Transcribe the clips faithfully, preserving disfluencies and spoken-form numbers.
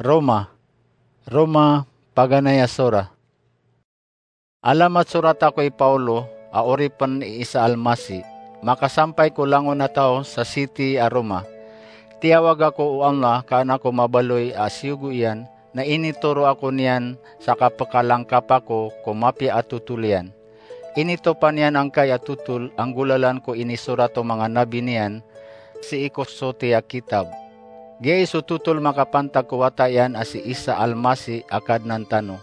Roma. Roma, paganay a sora. Alamat sorata ko i Paolo, a oripn i Isa Almasi, makasampay ko langon a taw sa siti a Roma. Tiyawag ako o Allah ka an ako mabaloy a siyogo iyan, na initoro ako niyan sa kapkalangkap ako ko mapiya a totol iyan. Initopan iyan angkai a totol a nggolalan ko inisorat o manga nabi niyan sii ko soti a kitab. Giyai so totol makapantag ko wata iyan a si Isa Almasi a Kadnan tano.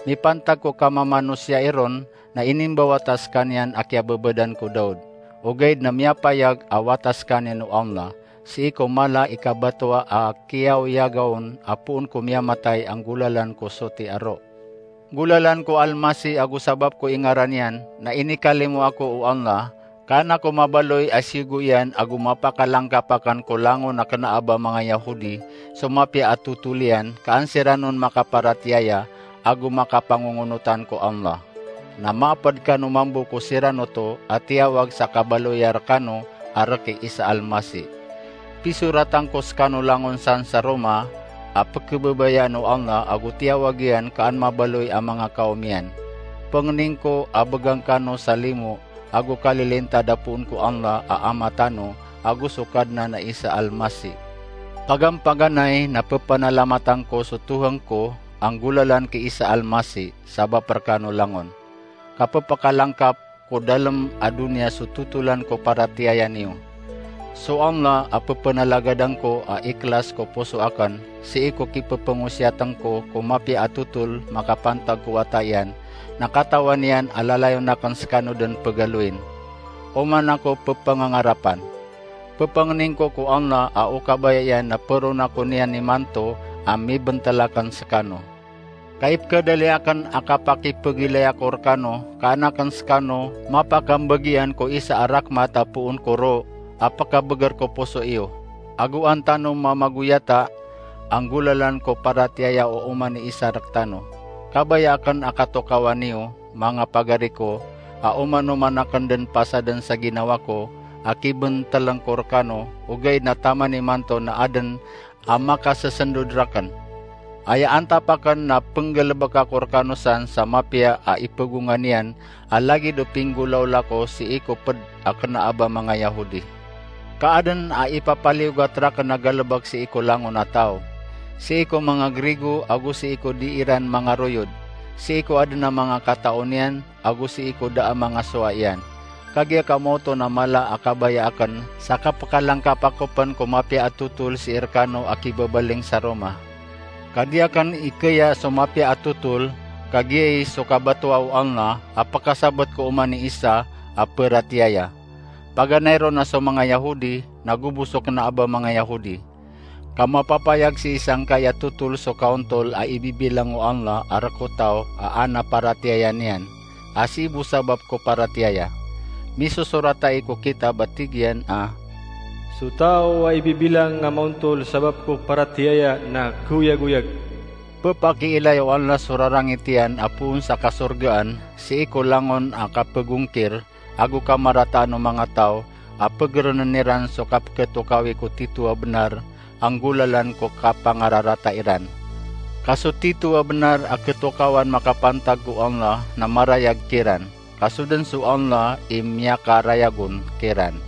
Mipantag ko kamamanosiya iron na inimbawata skaniyan a kiyababadan ko Daud, ogaid na miyapayag a wata skaniyan o Allah, sii ko mala i kabatowa a kiyaoyaga on a poon ko miyamatay a nggolalan ko soti a ro. Nggolalan ko Almasi ago sabap ko ingaran iyan, na inikalimo ako o Allah, ka an ako mabaloy a siyogo iyan ago mapakalangkap akn ko langon a kna a ba manga Yahudi so mapiya a totol iyan, ka an siran on makaparatiyaya ago makapangongonotan ko Allah. Na maapd kano mambo ko siran oto a tiyawag sa kabaloya rkano a rk i Isa Almasi. Pisoratan ko skano langon san sa Roma a pkhababayaan o Allah ago tiyawag iyan ka an mabaloy a manga kawm iyan. Pangnin ko a bgan kano sa limo ago kalilintad a poon ko Allah a Ama tano ago so Kadnan a Isa Almasi. Pagampaganay na ppanalamatan ko so Tohan ko a nggolalan ki Isa Almasi sabap rkano langon. Kappakalangkap ko dalm a doniya so totolan ko paratiyaya niyo. So Allah a ppanalagadan ko a ikhlas ko poso akn, sii ko kipphangosiyatn ko ko mapiya a totol makapantag ko wata iyan, na katawan iyan a lalayon akn skano dn pgaloyin. Oman ako pphangangarapan. Ppangnin ko ko Allah a o kabaya iyan na pharoon ako niyan imanto a mibntl akn skano. Ka ipkhadali akn a kapakipagilay ako rkano, ka an akn skano mapakambgiyan ko isa a rakmat a poon ko ro a pkabgr ko poso iyo. Ago an tano mamagoyata a nggolalan ko paratiyaya o oman i isa rktano. Kabaya akn a katokawan iyo, manga pagari ko, a oman-oman akn dn pasadn sa ginawa ko a kibntln ko rkano, ogaid na taman imanto na adn a makasasndod rakn. Aya antap akn na pnggalbk ako rkano san sa mapiya a ipagonga niyan a lagid o pinggolawla ko sii ko pd a kna a ba manga Yahudi. Ka adn a ipapaliyogat rakn a galbk sii ko langon a taw, sii ko manga Grigo ago sii ko di iran manga royod, sii ko adn a manga katao niyan ago sii ko da a manga sowa iyan. Kagiya ka maoto na mala a kabaya akn sa kapkalangkap ako pn ko mapiya a totol sii rkano a kibabaling sa Roma. Ka di akn ikaya so mapiya a totol, ka giyai so kabatowa o Allah a pkasabt ko oman i isa a paratiyaya. Paganay ron a so manga Yahudi na gobo so kna a ba manga Yahudi. Ka mapapayag sii sangkai a totol so kaontol a ibibilang o Allah a rk o taw a an a paratiyaya niyan, a sii bo sabap ko paratiyaya. Misosorat ai ko kitab a tig iyan a, "So taw a ibibilang a maontol sabap ko paratiyaya na kaoyagoyag." Ppakiilay o Allah so rarangit iyan a poon sa kasorgaan sii ko langon a kapagongkir ago kamarataan o manga taw a pgrnn iran so kapkhatokawi ko tito a bnar a nggolalan ko kapangararata iran. Ka so tito a bnar a khatokawan makapantag ko Allah na marayag kiran, ka so dn so Allah i miyakarayag on kiran.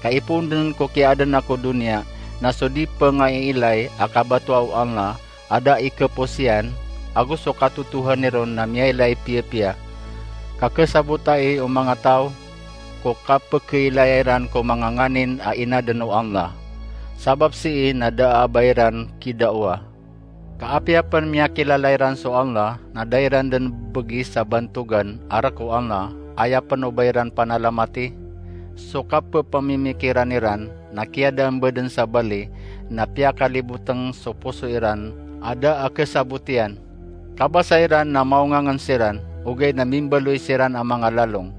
Ka ipoon dn ko kiyaadn ako doniya na so di pngaiilay a kabatowa o Allah a da i khapos iyan, ago so katotohan iron na miyailay piyapiya. Ka khasabota i o manga taw ko kapkhailaya iran ko manga nganin a inadn o Allah. Sabap sii na da a ba iran kidaowa. Ka apiya pn miyakilala iran so Allah, na da iran dn bgi sa bantogan a rk o Allah, aya pn o ba iran panalamati. So kapphamikiran iran na kiyadaan ba dn sa bali, na piyakalibotng so poso iran a da a khasabot iyan. Kabasa iran na maongangn siran, ogaid na mimbaloy siran a manga lalong.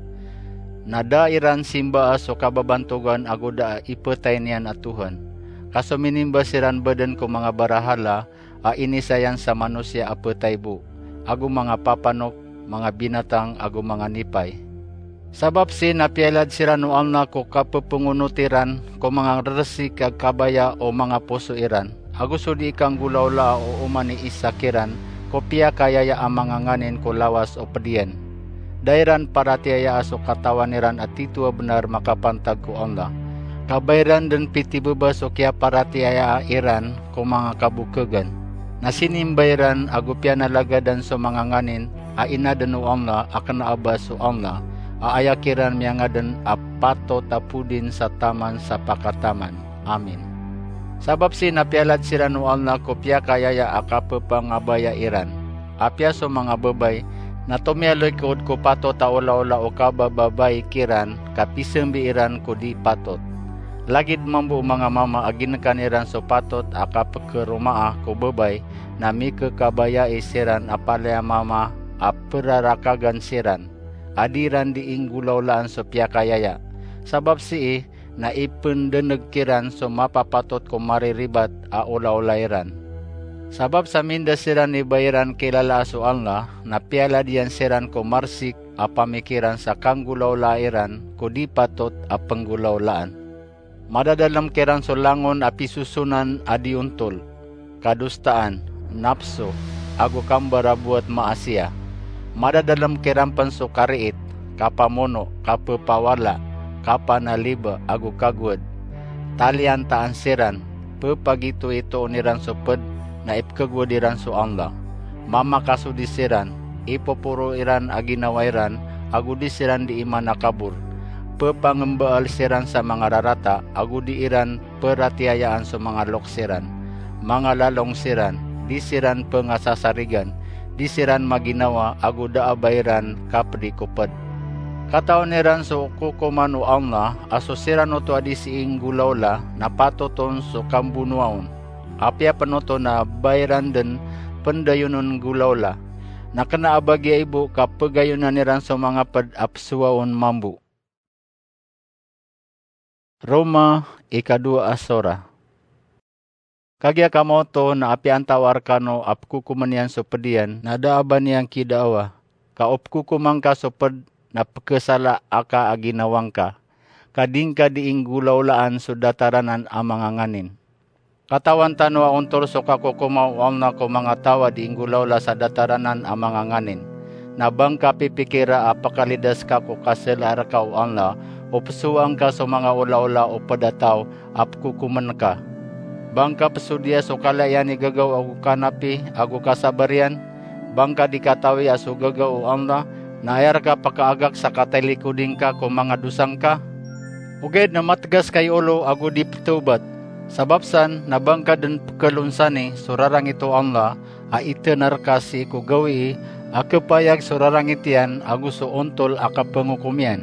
Na da iran simbaa so kababantogan ago da a ipatay niyan a Tohan. Ka so minimba siran ba dn ko manga barahala a inisayan sa manosiya a ptay bo, ago manga papanok, manga binatang ago manga nipay. Sabap sii na piyailad siran o Allah ko kapphongonoti ran ko manga rsik a kabaya o manga poso iran. ago so dii kanggolawlaa o oman i isa kiran ko piyakayaya a manga nganin ko lawas o ped iyan. Da iran paratiyayaa so katawan iran a titho a benar makapantag ko Allah. Ka ba iran den pitibeba so kiyaparatiyayaa iran ko manga kabokegan. Na sinimba iran ago piyanalagadan so manga nganin a inaden o Allah a kena a ba so Allah a aya kiran miyangaden a patot a podin sa taman sa pakataman. Amin. Sabap sii na piyalad siran o Allah ko piyakayaya a kapepangabaya iran. Apiya so manga babay na tomiyaloy kod ko patot a olaola o kabababai kiran ka pisembi iran ko di patot. Lagid mambo o manga mama a ginekan iran so patot a kapekeromaa ko babay na mikekabayai siran a palaya mama a perarakagan siran a di iran dii nggolawlaan so piyakayaya. Sabap sii na ipendeneg kiran so mapapatot ko mariribat a olaola iran. Sabap sa minda siran i ba iran kilalaa so Allah, na piyalad iyan siran ko marsik a pamikiran sa kanggolawlaa iran ko di patot a penggolawlaan. Madadalem kiran so langon a pisosonan a di ontol, kadostaan, napso, ago kambarabowat maasiya. Madadalem kiran pen so kariit, kapamono, kapepawala, kapanaliba, ago kagowad. Taliyantaan siran, pepagitoitoon iran so ped na ipekegowad iran so Allah. Mamakasodi siran, ipoporo iran a ginawa iran, ago di siran dii manakabor. Pepangembaal siran sa manga rarata, ago di iran peratiyayaan so manga loks iran. Manga lalong siran, di siran pengasasarigan, di siran maginawa, ago da a ba iran kapedi ko ped. Katawan iran so kokoman o Allah, a so siran oto a di sii nggolawla, na patot on so kambonoa on. Apiya pen oto na ba iran den pendayonen nggolawla. Na kena a ba giya i bo ka pegayonan iran so manga ped a pesowaon mambo. Roma, ikadowa a sora. Kagiya kamo oto na apiya antawaa rekano a pekokomen iyan so ped iyan na da a ba niyan kidaawa, ka o pekokoman ka so ped na pekesala aka a ginawa ngka, ka di ngka dii nggolawlaan so datar anan a manga nganin. Katawan tano a ontol so kakokoma o Allah ko manga taw a dii nggolawla sa datar anan a manga nganin. Na ba ngka pipikira a pekalidas ka ko kaselaa reka o Allah, o pesowaan ka so manga olaola o ped a taw a pekokomen ka. Ba ngka pesodiya so kala iyan i gagaw ago kanapi ago kasabar iyan? Ba ngka di katawi a so gagaw o Allah na aya reka pekaagak sa katalikoding ka ko manga dosa ngka? Ogaid na mategas ka i olo ago di petawbat. Sabap san na ba ngka den pekelonsani so rarangit o Allah a itenar ka sii ko gawii a kepayag so rarangit iyan ago so ontol a kapengokom iyan.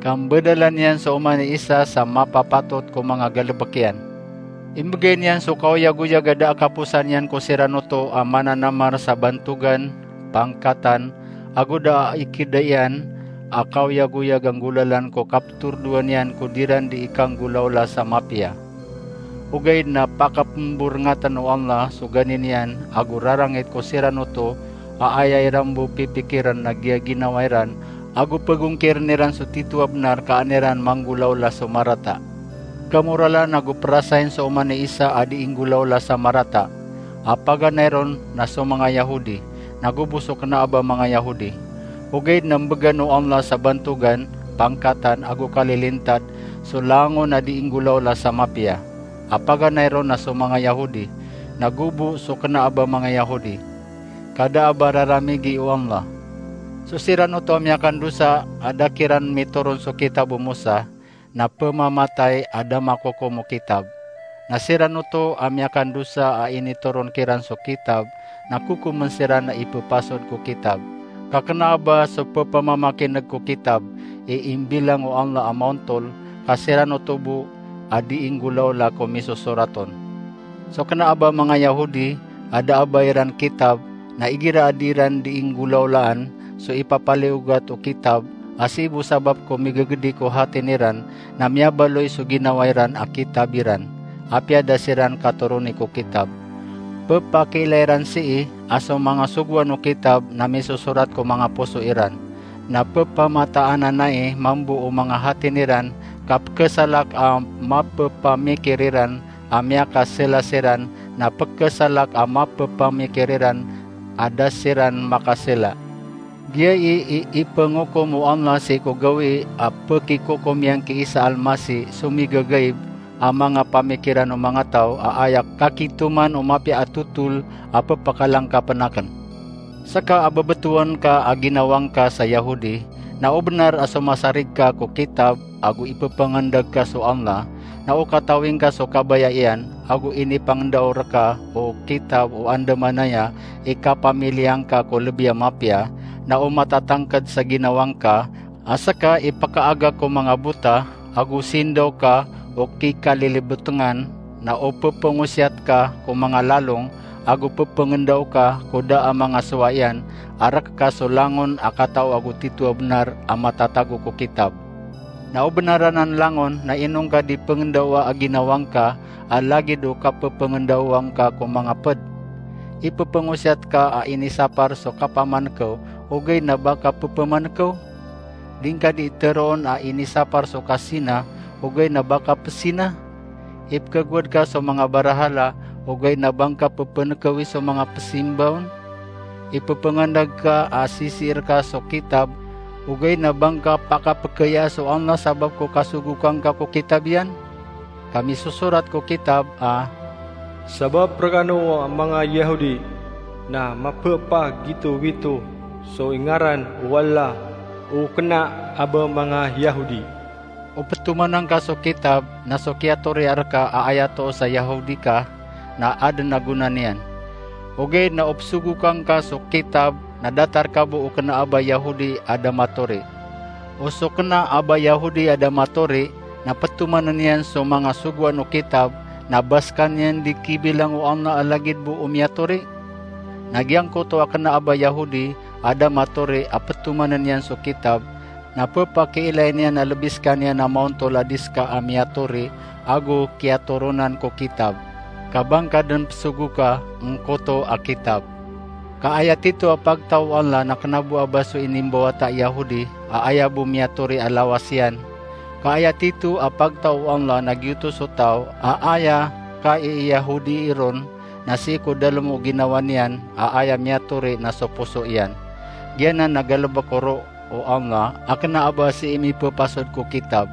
Ka mbadalan iyan so oman i isa sa mapapatot ko manga galebek iyan. Imbegay niyan so kaoyagoyag a da a kaposan iyan ko siran oto a mananamar sa bantogan, pangkatan, ago da a ikidaian a kaoyagoyag a nggolalan ko kapetordoan iyan ko diran dii kanggolawla sa mapiya. Ogaid na pakapemborengaten o Allah so ganin iyan ago rarangit ko siran oto a aya iran bo pipikiren na giya ginawa iran, ago pegongkiren iran so titho a benar ka an iran manggolawla so marata. Kamoralan ago perasain so oman i isa a dii nggolawla sa marata. A paganay ron na so manga Yahudi, na go bo so kena a ba manga Yahudi. Ogaid na mbegan o Allah sa bantogan, pangkatan, ago kalilintad so langon a dii nggolawla sa mapiya. A paganay ron na so manga Yahudi, na go bo so kena a ba manga Yahudi. Ka da a ba raramigi o Allah. So siran oto a miyakandosa a da kiran mitoron so kitab o Mosa, na pemamatay a da makokom o kitab. Na siran oto a miyakandosa a initoron kiran so kitab, na kokomen siran a ipepasod ko kitab. Ka kena a ba so pepamamakineg ko kitab i imbilang o Allah a maontol, ka siran oto bo a dii nggolawla ko misosorat on. So kena a ba manga Yahudi a da a ba iran kitab, na igira a di iran dii nggolawlaan so ipapaliyogat o kitab, a sii bo sabap ko migegedi ko hatin iran na miyabaloy so ginawa iran a kitab iran, apiya da siran katoroni ko kitab. Pepakiilay ran sii a so manga sogoan o kitab na misosorat ko manga poso iran. Na pepamataananai mambo o manga hatin iran, ka pekesalak a mapepamikir iran a miyakasela siran na pkhasalak a mapepamikir iran a da siran makasila. Giyai i ipengokom o Allah sii ko gawii a pekikokom iyan ki Isa Almasi so migagaib a manga pamikiran o manga taw a aya kakitoman o mapiya a totol a pepakalangkapen aken. Seka a bebetowan ka a ginawa ngka sa Yahudi, na o benar a somasarig ka ko kitab ago ipepengendag ka so Allah, na o katawi ngka so kabaya iyan ago inipangendao reka o kitab o andamanaya i kapamiliya ngka ko lebi a mapiya, na o matatangked sa ginawa ngka a seka i pekaaga ko manga bota ago sindaw ka o kikalilibetengan, na o pepengosiyat ka ko manga lalong ago pepengendao ka ko da a manga sowa iyan a rek ka so langon a katao ago tito a benar a matatago ko kitab. Na o benar anan langon na ino ngka di pengendaoa a ginawa ngka a lagid o kapepengendaoa ngka ko manga ped. Ipepengosiyat ka a inisapar so kapamanekew ogaid na ba ka pepemanikew? Di ngka di teroon a inisapar so kasina ogaid na ba ka pesina? Ipekegowad ka so manga barahala ogaid na ba ngka pepenekewi so manga pesimbaon? Ipepengendag ka a sisiir ka so kitab ogaid na ba ngka pakapekeyaa so Allah sabap ko kasogoka ngka ko kitab iyan? Kamisosorat ko kitab a sabap rekano a manga Yahudi na mapepagitowito so ingaran o Allah o kena a ba manga Yahudi. O petomanan ka so kitab na so kiyatoriya reka a aya too sa Yahudi ka na aden a gona niyan. Ogaid na o pesogoka ngka so kitab na datar ka bo o kena a ba Yahudi a da matori. O so kena a ba Yahudi a da matori na petomanen iyan so manga sogoan o kitab na ba sekaniyan di kibilang o Allah a lagid bo o miyatori? Na giyangkoto a kena a ba Yahudi a da matori a petomanen iyan so kitab na pepakiilay niyan a lebi sekaniyan a maontol a di seka a miyatori ago kiyatoronan ko kitab, ka ba ngka den pesogoka ngkoto a kitab. Ka aya tito a pagtaw o Allah na kena bo a ba so inimbawata a Yahudi a aya bo miyatori a lawas iyan. Ka aya tito a pagtaw o Allah na giyoto so taw a aya kaiyahudii ron na sii ko dalem o ginawa niyan a aya miyatori na so poso iyan. Giyanan na galebek o ro o Allah a kena a ba sii mipepasod ko kitab.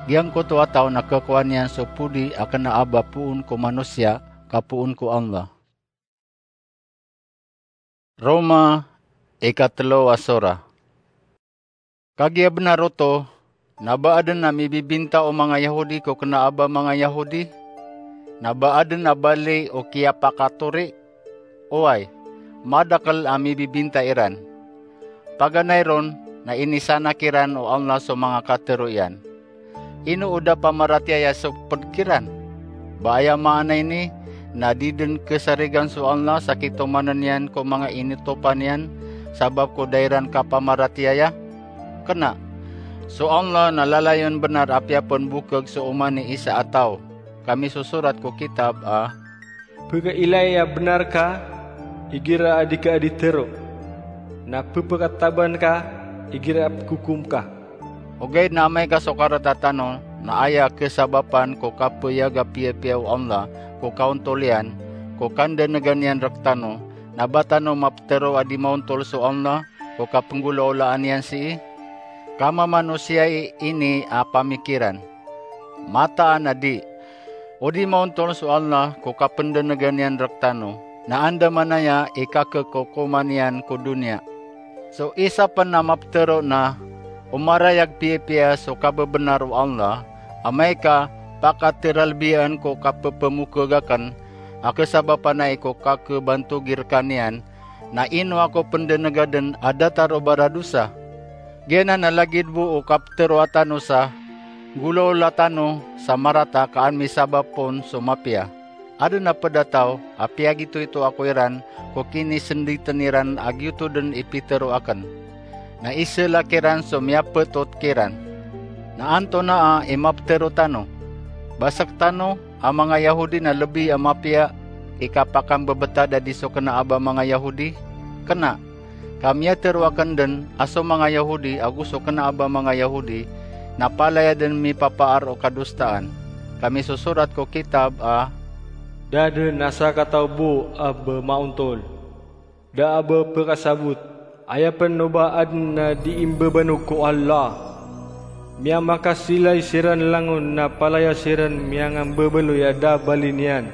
Giyangkoto a taw na kekowa niyan so podi a kena a ba poon ko manosiya ka poon ko Allah. Roma, ikatelo a sora. Kagiya benar oto, na ba aden a mibibinta o manga Yahudi ko kena a ba manga Yahudi? Na ba aden a bali o kiyapakatori? Oway, madakel a mibibinta iran. Paganay ron na inisanak iran o Allah so manga katero iyan. Ino o da pamaratiyaya so ped kiran? Ba aya maana ini na di den kesarigan so Allah sa kitomanen iyan ko manga initopan iyan sabap ko da iran kapamaratiyaya? Kena. So Allah na lalayon benar apiya pen bokeg so oman i isa a taw. Kamisosorat ko kitab a pekailay a benar ka igira a di ka di tero, na pepekataban ka igira a pekokom ka. Ogaid na amay ka so karata tano na aya kesabapan ko kapeyaga piyapiya o Allah ko kaontol iyan, ko kandanegan iyan rektano, na ba tano mapetero a di maontol so Allah ko kapenggolaolaan iyan sii? Kamamanosiya i ini a pamikiran. Mataan a di. O di maontol so Allah ko kapendanegan iyan rektano, na andamanaya i kakekokoman iyan ko doniya. So isa pen a mapetero na o marayag piyapiya so kabebenar o Allah, amay ka pakateralbiyaan ko kapepemokeg aken a kesabapan ai ko kakebantogir kaniyan, na ino ako pendenegaden a datar o baradosa? Giyanan a lagid bo o kapetero a tano sa, nggolawla tano sa marata ka an misabap on so mapiya. Aden a ped a taw a piyagitoito ako iran ko kinisenditen iran a giyoto den i pitero aken. Na iselak iran so miyapetot kiran. Na antonaa i mapetero tano? Ba sektano a manga Yahudi na lebi a mapiya i kapakambebetad a di so kena a ba manga Yahudi? Kena. Ka miyatero aken den a so manga Yahudi ago so kena a ba manga Yahudi na palaya den mipapaar o kadostaan. Ka misosorat ko kitab a Da den a sakataw bo a ba maontol. Da a ba pekasabot, aya pen o ba aden a di imbebanog ko Allah. Miyamakasilay siran langon na palaya siran miyangambebaloy a da bali niyan.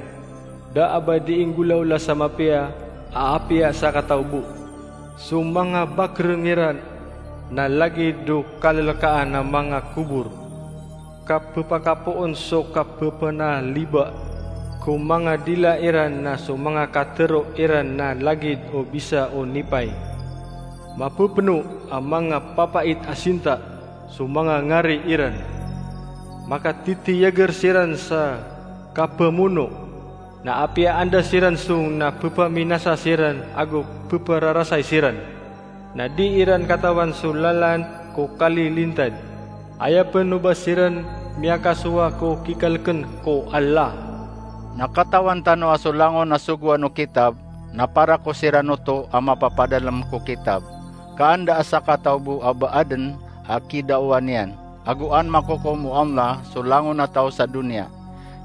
Da a ba di inggolaola sa mapiya a apiya sakataw bo. So manga bakereng iran na lagid o kalelekaan a manga kobor. Kapepakapoon so kapepenaliba ko manga dila iran na so manga katero iran na lagid o bisa o nipay. Mapepeno a manga papait a sinta so manga ngari iran. Makatitiyager siran sa kapemono, na apiya anda siran song na pepaminasa siran ago pepararasay siran. Na di iran katawan so lalan ko kalilintad. Aya pen o ba siran miyakasowa ko kikaleken ko Allah. Na katawan tano a so langon a sogoan o kitab na para ko siran oto a mapapadalem ko kitab. Ka an da a sakataw bo a ba aden a kidaowan iyan, ago an makokom o Allah so langon a taw sa doniya.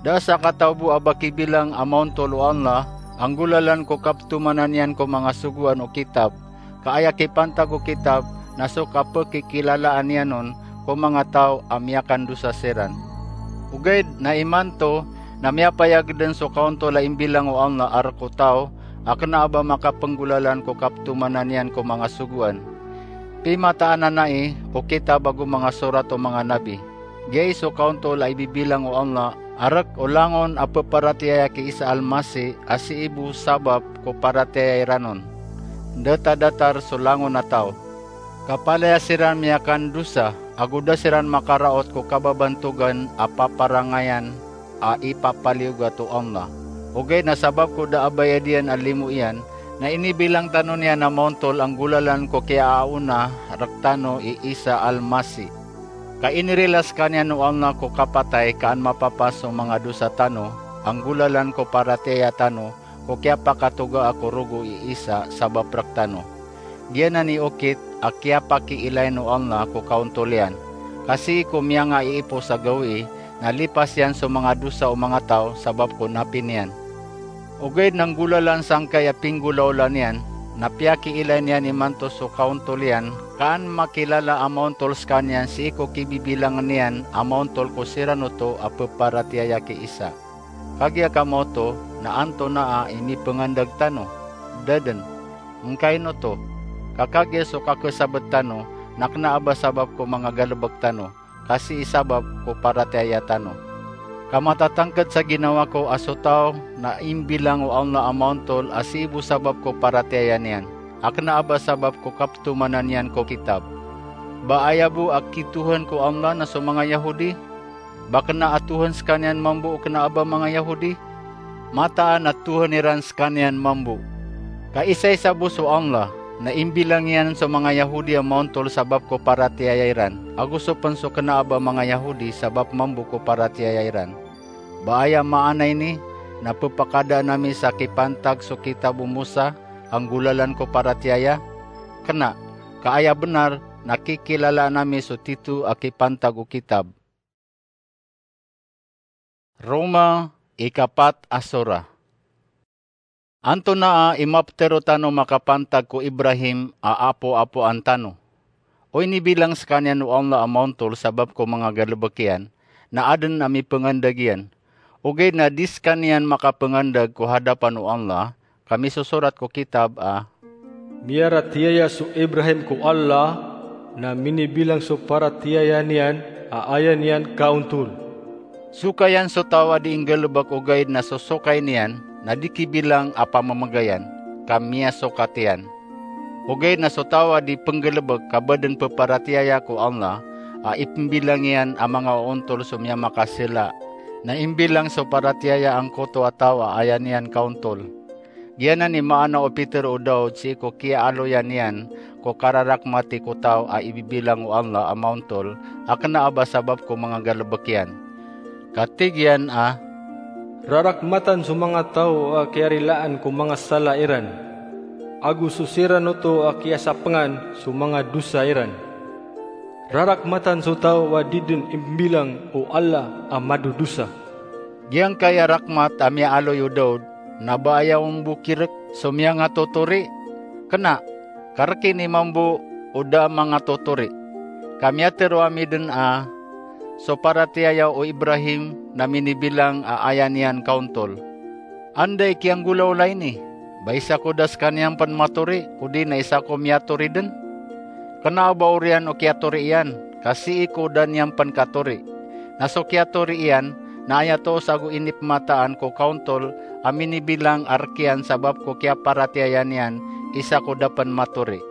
Da a sakataw bo a ba kibilang a maontol o Allah a nggolalan ko kaptomanan iyan ko manga sogoan o kitab. Ka aya kipantag o kitab na so kapekikilalaan iyan on ko manga taw a miyakandosa siran. Ogaid na imanto na miyapayag den so kaontol a imbilang o Allah a rek o taw a kena a ba makapenggolalan ko kaptomanan iyan ko manga sogoan. Pimataan a nai o kitab ago manga sorat o manga nabi. Giyai so kaontol a ibibilang o Allah a rek o langon a peparatiyaya ki Isa Almasi a sii bo sabap ko paratiyaya iran on. Datadatar so langon a taw. Ka palaya siran miyakandosa, ago da siran makaraot ko kababantogan a paparangayan a ipapaliyogat o Allah. Ogaid na sabap ko da a bayad iyan a limo iyan, na inibilang tano niyan a maontol a nggolalan ko kiyaaona rektano i Isa Almasi. Ka inirila sekaniyan o Allah ko kapatay ka an mapapasong manga dosa tano, a nggolalan ko paratiyaya tano, ko kiyapakatogaa ko rogo i Isa sabap rektano. Giyanan i okit a kiyapakiilayn o Allah ko kaontol iyan. Ka sii ko miyangaiipos a gawii, na lipas iyan so manga dosa o manga taw sabap ko napi niyan. Ogaid na nggolalan sangkai a pinggolaola niyan, na piyakiilay niyan imanto so kaontol iyan, ka an makilala a maontol sekaniyan sii ko kibibilangen iyan a maontol ko siran oto a peparatiyaya ki Isa. Kagiya kamaoto na antonaa i mipengandag tano? Da den. Ngkaino oto? Ka kagiya so kakesabet tano na kena a ba sabap ko manga galebek tano, ka sii sabap ko paratiyaya tano. Ka matatangked sa ginawa ko a so taw na imbilang o Allah a maontol a sii bo sabap ko paratiyaya niyan, a kena a ba sabap ko kaptomanan iyan ko kitab. Ba aya bo a kitohan ko Allah na so manga Yahodi? Ba kena a tohan sekaniyan mambo o kena a ba manga Yahodi? Mataan a tohan iran sekaniyan mambo. Ka isaisa bo so Allah, na imbilang iyan so manga Yahodi a maontol sabap ko paratiyaya iran, ago so pen so kena a ba manga Yahodi sabap mambo ko paratiyaya iran. Ba aya maana ini, na pepakadaan ami sa kipantag so kitab o Mosa a nggolalan ko paratiyaya? Kena, ka aya benar na kikilalaan ami so tito a kipantag o kitab. Roma, ikapat a sora. Antonaa i maptero tano makapantag ko Ibrahim a apoapoan tano? O inibilang sekaniyan o Allah a maontol sabap ko manga galebek iyan, na aden a mipengandag iyan. Ogaid na di sekaniyan makapengandag ko hadapan o Allah, ka misosorat ko kitab a, miyaratiyaya so Ibrahim ko Allah, na minibilang so paratiyaya niyan a aya niyan kaontol. Sokayan so taw a di inggalebek ogaid na so sokay niyan na di kibilang a pamemegayan, ka miyasokat iyan. Ogaid na so taw a di penggalebek ka ba den peparatiyaya ko Allah, a ipembilang iyan a manga oontol so miyamakasela, na imbilang so paratiyaya angkoto a taw a aya niyan kaontol. Giyanan i maana o pitero o Daud sii ko kiyaaloya niyan ko kararakmati ko taw a ibibilang o Allah a maontol a kena a ba sabap ko manga galebek iyan. Ka tig iyan a, rarakmatan so manga taw a kiyarilaan ko manga sala iran, ago so siran oto a kiyasapengan so manga dosa iran. Rarakmatan so taw a di den imbilang o Allah a madodosa. Giyangkaya rakmat a miyaaloy o Daud, na ba aya on bo kirek so miyangatotori? Kena, ka rekini mambo o da a mangatotori. Ka miyatero ami den a so paratiyaya o Ibrahim na minibilang a aya niyan kaontol. Anda i kiyanggolawla ini? Ba isa ko da sekaniyan pen matori, odi na isa ko miyatori den? Kena a ba oriyan o kiyatori iyan, ka sii ko da niyan pen katori. Na so kiyatori iyan, na aya toos ago inipemataan ko kaontol a minibilang a rek iyan sabap ko kiyaparatiyaya niyan, isa ko da pen matori.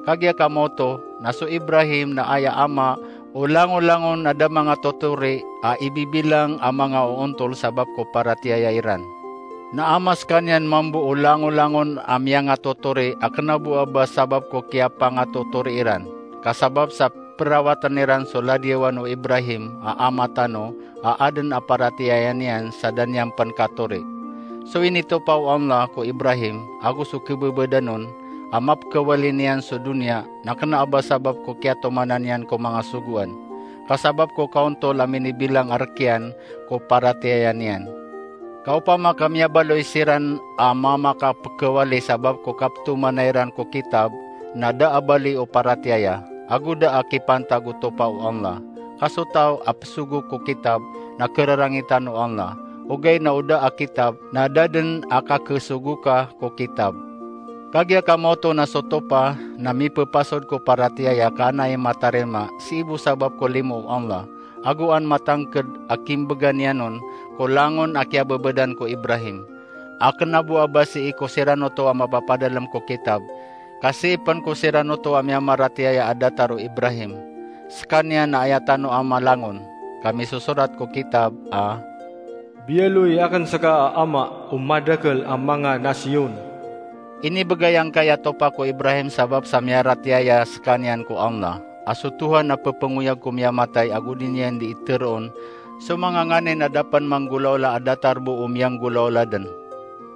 Kagiya kamoto na so Ibrahim na aya ama o langolangon a da mangatotori a ibibilang a mangaoontol sabap ko paratiyaya iran. Na ama sekaniyan mambo o langolangon a miyangatotori a kena bo a ba sabap ko kiyapangatotori iran, ka sabap sa perawaten iran so ladiyawan o Ibrahim a ama tano a aden a paratiyaya niyan sa da niyan pen katori. So initopa o Allah ko Ibrahim ago so kebebedan on a mapekawali niyan so doniya na kena a ba sabap ko kiyatomanan iyan ko manga sogoan, ka sabap ko kaontol a minibilang a rek iyan ko paratiyaya niyan. Ka opama ka miyabaloy siran a mamakapekawali sabap ko kapetomanay ran ko kitab, na da a bali o paratiyaya, ago da a kipantag o topa o Allah. Ka so taw a pesogo ko kitab na kerarangitan o Allah, ogaid na o da a kitab na da den a kakesogo ka ko kitab. Kagiya kamoto na so topa na mipepasod ko paratiyaya ka ana i matarima sii bo sabap ko limo o Allah, ago an matangked a kimbegan iyan on ko langon a kiyabebedan ko Ibrahim. A kena bo a ba sii ko siran oto a mapapadalem ko kitab, ka sii pen ko siran oto a miyamaratiyaya a datar o Ibrahim. Sekaniyan na aya tano a malangon, ka misosorat ko kitab a Biyaloy aken seka a ama o madakel a manga nasiyon. Inibegay angkaya topa ko Ibrahim sabap sa miyaratiyaya sekaniyan ko Allah, a so Tohan a pepengoyag ko miyamatay ago di niyan di iteroon so manga nganin a da pen manggolaola a datar bo o miyanggolaola den.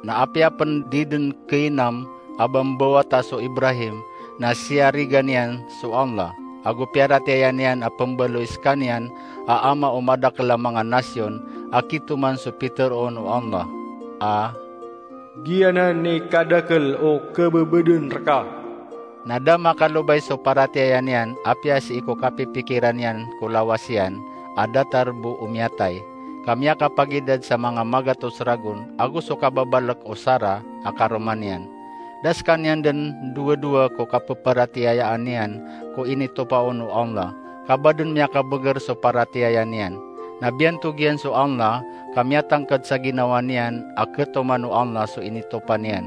Na apiya pen di den keinam a ba mbawata so Ibrahim, na siyarigan iyan so Allah, ago piyaratiyaya niyan a pembaloy sekaniyan a ama o madakel a manga nasiyon a kitoman so piteroon o Allah a Giyanan i kadakel o kebebeden reka. Na da makalobay so paratiyaya niyan, apiya sii ko kapipikiran iyan ko lawas iyan a datar bo o miyatay, ka miyakapagidad sa manga magatos ragon, ago so kababalek o Sara a karoma niyan. Da sekaniyan den dowadowa ko kapeparatiyayaan iyan ko initopa on o Allah, ka ba den miyakabeger so paratiyaya niyan. Na biyantog iyan so Allah, ka miyatangked sa ginawa niyan a ketoman o Allah so initopa niyan.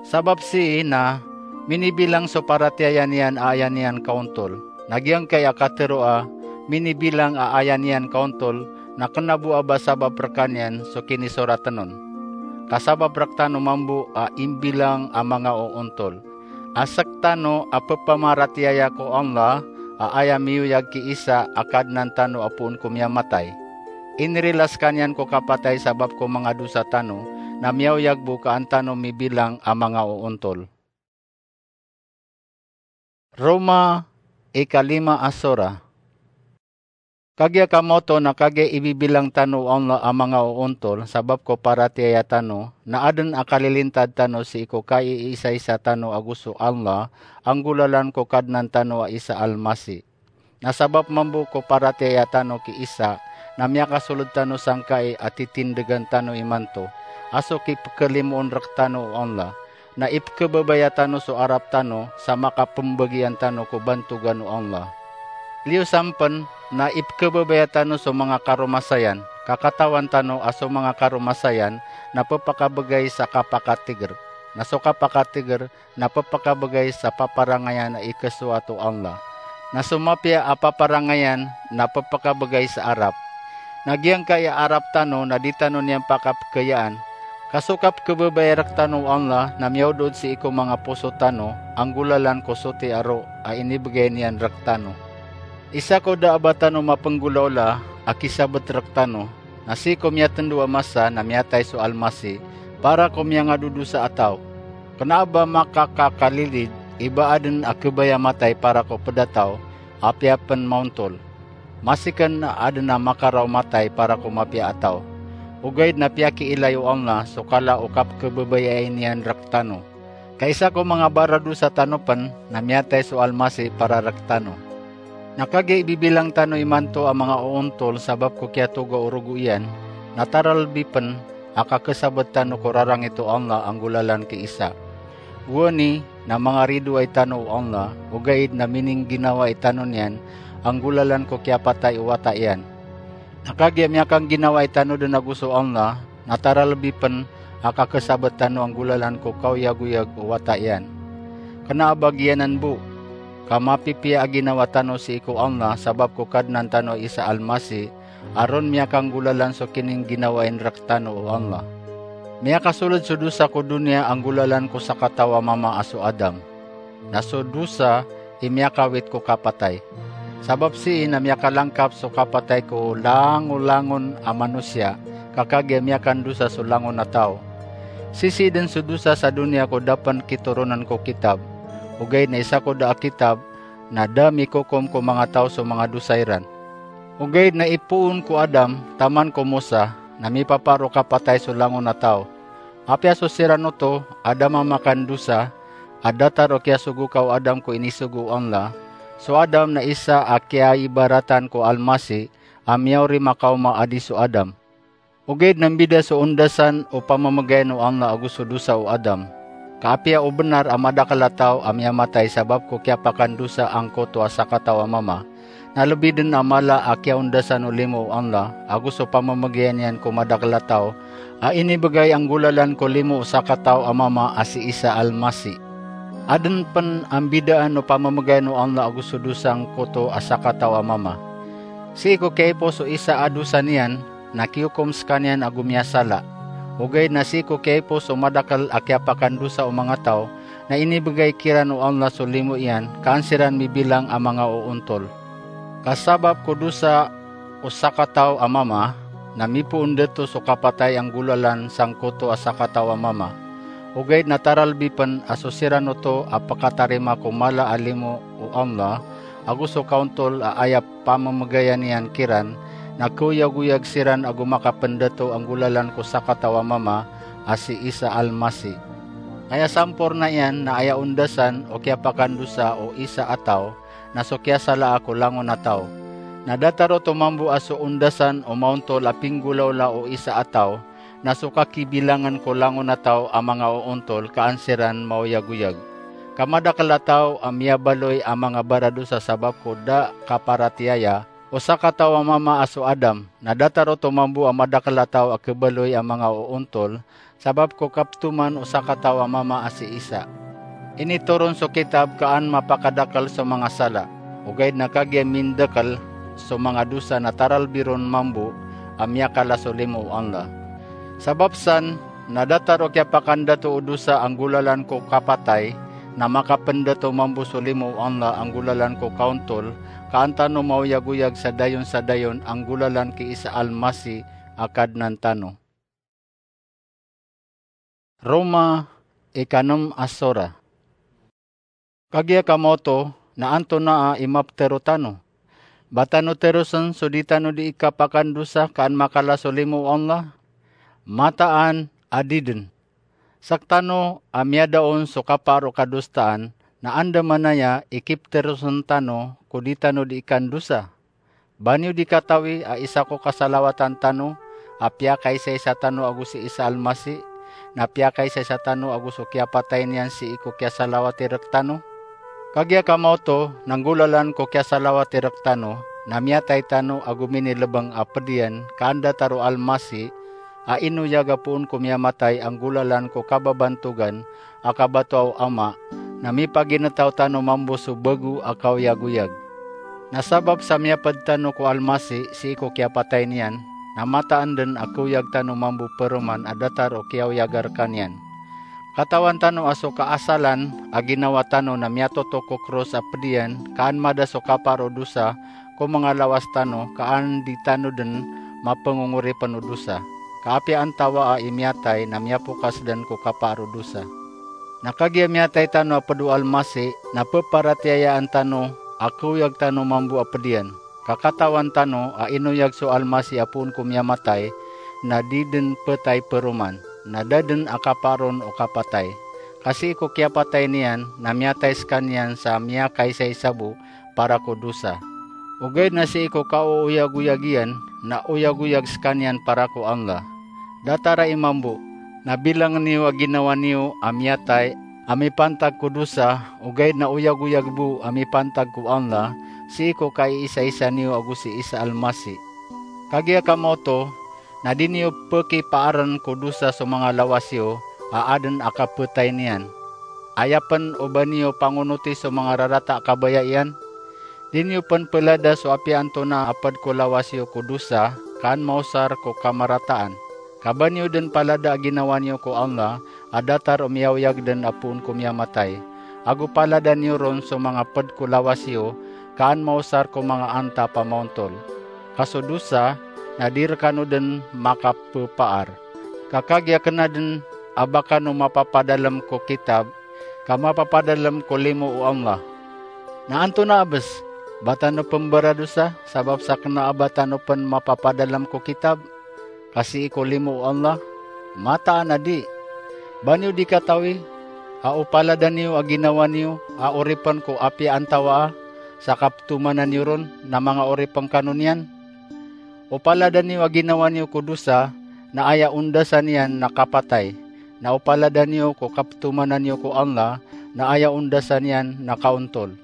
Sabap sii na minibilang so paratiyaya niyan a aya niyan kaontol. Na giyangkaya katero a minibilang a aya niyan kaontol, na kena bo a ba sabap rekaniyan so kinisoraten on. Ka sabap rektano mambo a imbilang a manga oontol. A sektano a pepamaratiyaya ko Allah a aya miyoyag ki Isa a Kadnan tano a poon ko miyamatay. Inirila sekaniyan ko kapatay sabap ko manga dosa tano, na miyaoyag bo ka an tano mibilang a manga oontol. Roma, ikalima a sora. Kagiya kamoto na kagiya ibibilang tano o Allah a manga oontol sabap ko paratiyaya tano, na aden a kalilintad tano sii ko kaiisaisa tano ago so Allah, a nggolalan ko Kadnan tano a Isa Almasi. Na sabap mambo ko paratiyaya tano ki Isa, na miyakasolod tano sangkai a titindegan tano imanto a so kipekhalimoon rektano o Allah, na ipekhababaya tano so arap tano sa makapembagian tano ko bantogan o Allah. Liyo sampen, na ipekhababaya tano so manga karomasayan, ka katawan tano a so manga karomasayan na pepakabegay sa kapakatiger, na so kapakatiger na pepakabegay sa paparangayan a ikesoat o Allah. Na so mapiya a paparangayan na pepakabegay sa arap. Na giyangkaya arap tano na di tano niyan pakapekayaan. Ka so kapekhababaya rektano o Allah na miyaodod sii ko manga poso tano a nggolalan ko soti a roo a inibegay niyan rektano. Isa ko da a ba tano mapenggolaola a kisabet rektano, na sii ko miyatendo a masa na miyatay so Almasi para ko miyangado dosa a taw. Kena a ba makakakalilid i ba aden a khabaya matay para ko pedataw, apiya pen maontol. Masiken a aden a makaraw matay para ko mapiya a taw. ogaid na piyakiilay o Allah so kala o kapkhababayai niyan rktano. Ka isa ko manga baradosa tano pn na miyatay so Almasih para rktano. Na kagiya ibibilang tano imanto a manga oontol sabap ko kiyatoga o rogo iyan, na taralbi pn a kakhasabt tano ko rarangit o Allah a nggolalan ki Isa. Gowani na mangaridoay tano o Allah, ogaid na miningginawa i tano niyan a nggolalan ko kiyapatay o wata iyan. Na kagiya miyakangginawai tano dn ago so Allah, na taralbi pn a kakhasabt tano a nggolalan ko kaoyagoyag o wata iyan. Kna a ba giyanan bo, ka mapipiya a ginawa tano sii ko Allah sabap ko Kadnan tano a Isa Almasih, a ron miyakanggolalan so kiningginawain rktano o Allah. Miyakasoled so dosa ko doniya a nggolalan ko sakataw a mama a so Adam. Na so dosa i miyakawit ko kapatay. Sabap sii na miyakalangkap so kapatay ko langolangon a manosiya, ka kagiya miyakandosa so langon a taw. Sisii dn so dosa sa doniya ko da pn kitoronan ko kitab. Ogaid na isa ko da a kitab na da mikokom ko manga taw so manga dosa iran. Ogaid na ipoon ko Adam taman ko Musa na mipaparo kapatay so langon a taw. Apiya so siran oto a da mamakandosa, a datar o kiyasogoka o Adam ko inisogo o Allah, so Adam na isa a kiyaibaratan ko Almasih a miyaori makaoma a di so Adam. Ogaid na mbida so ondasan o pamamagayan o Allah ago so dosa o Adam. Ka apiya o bnar a madakl a taw a miyamatay sabap ko kiyapakandosa angkoto a sakataw a mama, na lbi dn a mala a kiyaondasan o limo o Allah ago so pamamagayan iyan ko madakl a taw a inibgay a nggolalan ko limo o sakataw a mama a si Isa Almasih. Adn pn a mbidaan o pamamagayan o Allah ago so dosa angkoto a sakataw a mama. Sii ko kiyaipoos o isa a dosa niyan, na kiyokom skaniyan ago miyasala. Ogaid na sii ko kiyaipoos o madakl a kiyapakandosa o manga taw, na inibgay kiran o Allah so limo iyan, ka an siran mibilang a manga oontol. Ka sabap ko dosa o sakataw a mama, na mipoon dato so kapatay a nggolalan sangkoto a sakataw a mama. Ogaid na taralbi pn a so siran oto a pkatarima ko mala a limo o Allah ago so kaontol a aya pamamagayan iyan kiran, na kaoyagoyag siran ago makapndato a nggolalan ko sakataw a mama a si Isa Almasih. Aya samporna iyan na aya ondasan o kiyapakandosa o isa a taw na so kiyasalaa ko langon a taw. Na datar oto mambo a so ondasan o maontol a pinggolawla o isa a taw na so kakibilangan ko langon a taw a manga oontol ka an siran maoyagoyag. Ka madakl a taw a miyabaloy a manga baradosa sabap ko da kaparatiyaya o sakataw a mama a so Adam, na datar oto mambo a madakl a taw a khabaloy a manga oontol sabap ko kaptoman o sakataw a mama a si Isa. Initoron so kitab ka an mapakadakl so manga sala, ogaid na kagiya mindakl so manga dosa na taralbi ron mambo a miyakala so limo o Allah. Sabap san, na datar o kiyapakandato o dosa a nggolalan ko kapatay, na makapndato mambo so limo o Allah a nggolalan ko kaontol, ka an tano maoyagoyag sa dayon sa dayon a nggolalan ki Isa Almasih a Kadnan tano. Roma, ikanem a sora. Kagiya kamaoto, na antonaa i maptharo tano? Ba tano tharosen so di tano dii kapakandosa ka an makala so limo o Allah? Mataan a di dn. Sktano a miyada on so kapaar o kadosaan, na andamanaya i kiptharosen tano ko di tano dii kandosa. Ba niyo di katawi a isa ko kasalawatan tano a piyakaisaisa tano ago si Isa Almasih, na piyakaisaisa tano ago so kiyapatay niyan sii ko kiyasalawati rktano? Kagiya kamaoto, na nggolalan ko kiyasalawati rktano, na miyatay tano ago minilbng a pd iyan ka an datar o Almasih a inoyag a poon ko miyamatay a nggolalan ko kababantogan a kabatoa o Ama, na mipagintaw tano mambo so bago a kaoyagoyag. Na sabap sa miyapd tano ko Almasih sii ko kiyapatay niyan, na mataan dn a kaoyag tano mambo paroman a datar o kiyaoyaga rkaniyan. Katawan tano a so kaasalan a ginawa tano na miyatotok ko kros a pd iyan ka an mada so kapaar o dosa ko manga lawas tano ka an di tano dn mapngongoripn o dosa. Ka apiya antawaa i miyatay na miyapokas dn ko kapaar o dosa. Na kagiya miyatay tano a pd o Almasih, na pparatiyayaan tano a kaoyag tano mambo a pd iyan. Ka katawan tano a inoyag so Almasih a poon ko miyamatay, na di dn ptay paroman, na da dn a kapaar on o kapatay. Ka sii ko kiyapatay niyan na miyatay skaniyan sa miyakaisaisa bo para ko dosa. Ogaid na sii ko kaoyagoyag iyan na oyagoyag skaniyan para ko Allah. Datar a imam bo, na bilangn iyo a ginawa niyo a miyatay a mipantag ko dosa, ogaid na oyagoyag bo a mipantag ko Allah, sii ko kaiisaisa niyo ago si Isa Almasi. Kagiya kamaoto, na di niyo pkipaarn ko dosa so manga lawas iyo a adn a kaptay niyan. Aya pn o ba niyo pangonoti so manga rarata a kabaya iyan? Di niyo pn plada so apiya antonaa a pd ko lawas iyo ko dosa, ka an maosar ko kamarataan. Ka ba niyo dn palada a ginawa niyo ko Allah, a datar o miyaoyag dn a poon ko miyamatay. Ago palada niyo ron so manga pd ko lawas iyo, ka an maosar ko manga anta a pamaontol. Ka so dosa, na di rkano dn makappaar. Ka kagiya kna dn a ba kano mapapadalm ko kitab, ka mapapadalm ko limo o Allah. Na antonaa bs, ba tano pn mbaradosa, sabap sa kna a ba tano pn mapapadalm ko kitab, ka sii ko limo o Allah? Mataan a di. Ba niyo di katawi a o palada niyo a ginawa niyo a oripn ko apiya antawaa, sa kaptomanan iyo ron na manga oripn kano niyan? O palada niyo a ginawa niyo ko dosa, na aya ondasan iyan na kapatay. Na o palada niyo ko kaptomanan iyo ko Allah, na aya ondasan iyan na kaontol.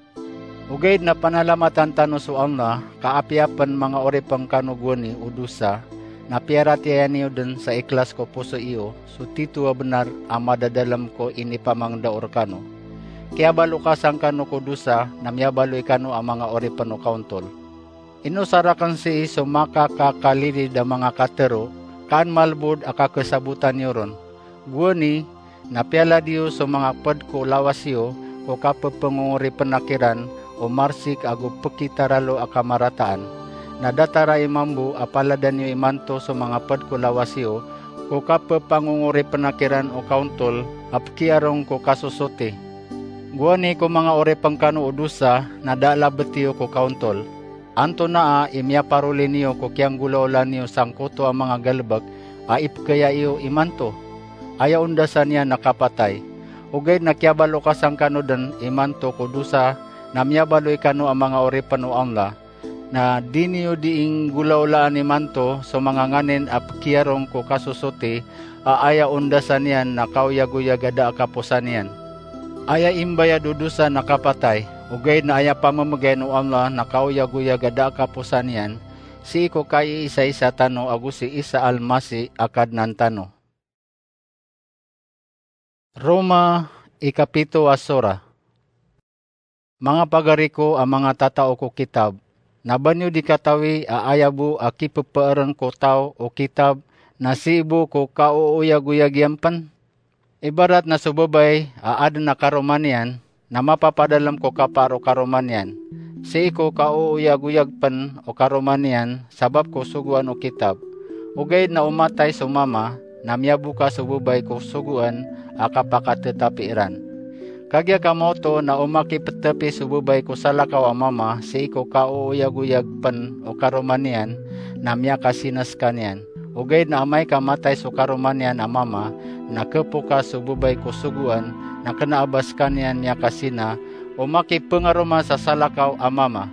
Ogaid na panalamatan tano so Allah, ka apiya pn manga oripn kano gowani o dosa, na piyaratiyaya niyo dn sa ikhlas ko poso iyo so tito a bnar a madadalm ko inipamangndao rkano. Kiyabalokasan kano ko dosa, na miyabaloy kano a manga oripn o kaontol. Ino sa rakn sii so makakakalilid a manga katharo, ka an malbod a kakhasabotan iyo ron. Gowani, na piyalad iyo so manga pd ko lawas iyo ko kappangongoripnakn iran o marsik ago pkitaralo a kamarataan. Na datar a imam bo a palada niyo imanto so manga pd ko lawas iyo ko kappangongoripnakn iran o kaontol a pkiyarong ko kasosoti. Gowani ko manga oripn kano o dosa na da a labt iyo ko kaontol. Antonaa i miyaparoli niyo ko kiyanggolawla niyo sangkoto a manga galbk a ipkhaya iyo imanto? Aya ondasan iyan na kapatay. Ogaid na kiyabalokasan kano dn imanto ko dosa, na miyabaloy kano a manga oripn o Allah. Na di niyo dii nggolawlaan imanto so manga nganin a pkiyarong ko kasosoti, a aya ondasan iyan na kaoyagoyag a da a kaposan iyan. Aya imbayad o dosa na kapatay, ogaid na aya pamamgayan o Allah na kaoyagoyag a da a kaposan iyan, sii ko kaiisaisa tano ago si Isa Almasi a Kadnan tano. Roma, ikapito a sura. Manga pagari ko a manga tatao ko kitab, na ba niyo di katawi a aya bo a kippaarn ko taw o kitab na sii bo ko kaoyagoyag iyan pn? Ibarat na so babay a adn a karoma niyan na mapapadalm ko kapaar o karoma niyan, sii ko kaoyagoyag pn o karoma niyan sabap ko sogoan o kitab. Ogaid na o matay so mama, na miyaboka so babay ko sogoan a kapakatetapi iran. Kagiya kamaoto na o makipetapi so babay ko salakaw a mama sii ko kaoyagoyag pn o karoma niyan, na miyakasina skaniyan. Ogaid na amay ka matay so karoma niyan a mama, na khapoka so babay ko sogoan, na kna a ba skaniyan miyakasina o makipengaroma sa salakaw a mama.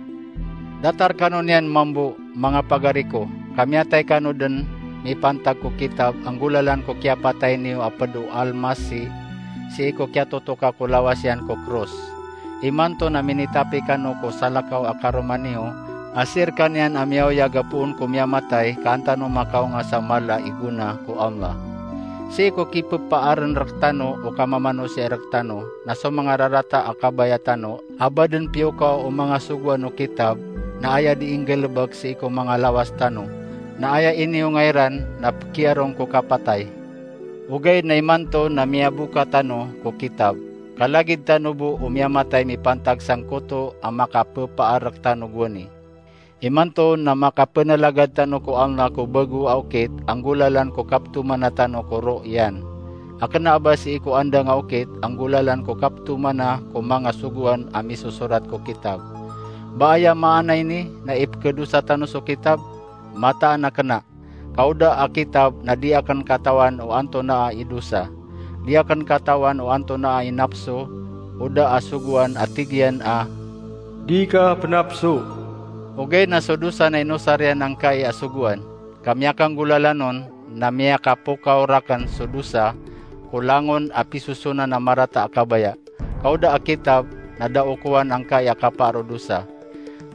Datar kano niyan mambo, manga pagari ko, ka miyatay kano dn mipantag ko kitab a nggolalan ko kiyapatay niyo a pd o Almasi, sii ko kiyatotoka ko lawas iyan ko kros. Imanto na minitapi kano ko salakaw a karoma niyo, a sii rkaniyan a miyaoyag a poon ko miyamatay, ka an tano makaonga sa mala i gona ko Allah. Sii ko kipepaarn rktano o kamamanosiya rktano, na so manga rarata a kabaya tano, a ba dn piyokaw o manga sogoan o kitab, na aya dii nggalbk sii ko manga lawas tano, na aya iniyonga iran na pkiyarong ko kapatay. Ogaid na imanto na miyaboka tano ko kitab, ka lagid tano bo o miyamatay mipantag sangkoto a makapepaar rktano gowani. Imanto na makapenalagad tano ko Allah ko bago a okit a nggolalan ko kaptomana tano ko roh iyan, a kna a ba sii ko andang a okit a nggolalan ko kaptomana ko manga sogoan a misosorat ko kitab. Ba aya maana ini na ipkhadosa tano so kitab? Mataan a kna. Ka o da a kitab na di akn katawan o antonaa i dosa. Di akn katawan o antonaa i napso o da a sogoan a tig iyan a, "Di ka pnapso." Ogaid na so dosa na inosar iyan angkai a sogoan, ka miyakanggolalan on na miyakapokaw rakn so dosa ko langon a pisosonan a marata a kabaya. Ka o da a kitab na da okowan angkai a kapaar o dosa.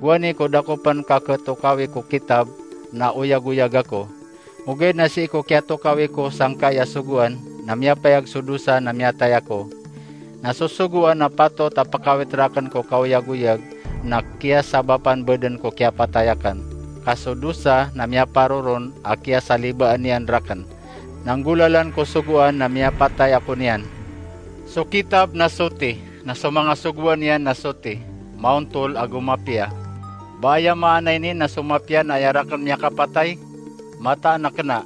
Gowani ko da ko pn kakhatokawi ko kitab na oyagoyag ako. Ogaid na sii ko kiyatokawi ko sangkai a sogoan na miyapayag so dosa na miyatay ako. Na so sogoan a patot a pkawit rakn ko kaoyagoyag na kiyasabapan bo dn ko kiyapatay akn. Ka so dosa na miyaparoron a kiyasalibaan iyan rakn. Na nggolalan ko sogoan na miyapatay ako niyan. So kitab na soti, na so manga sogoan iyan na soti, maontol ago mapiya. Ba aya maana ini na so mapiya na aya rakn miyakapatay? Mataan a kna.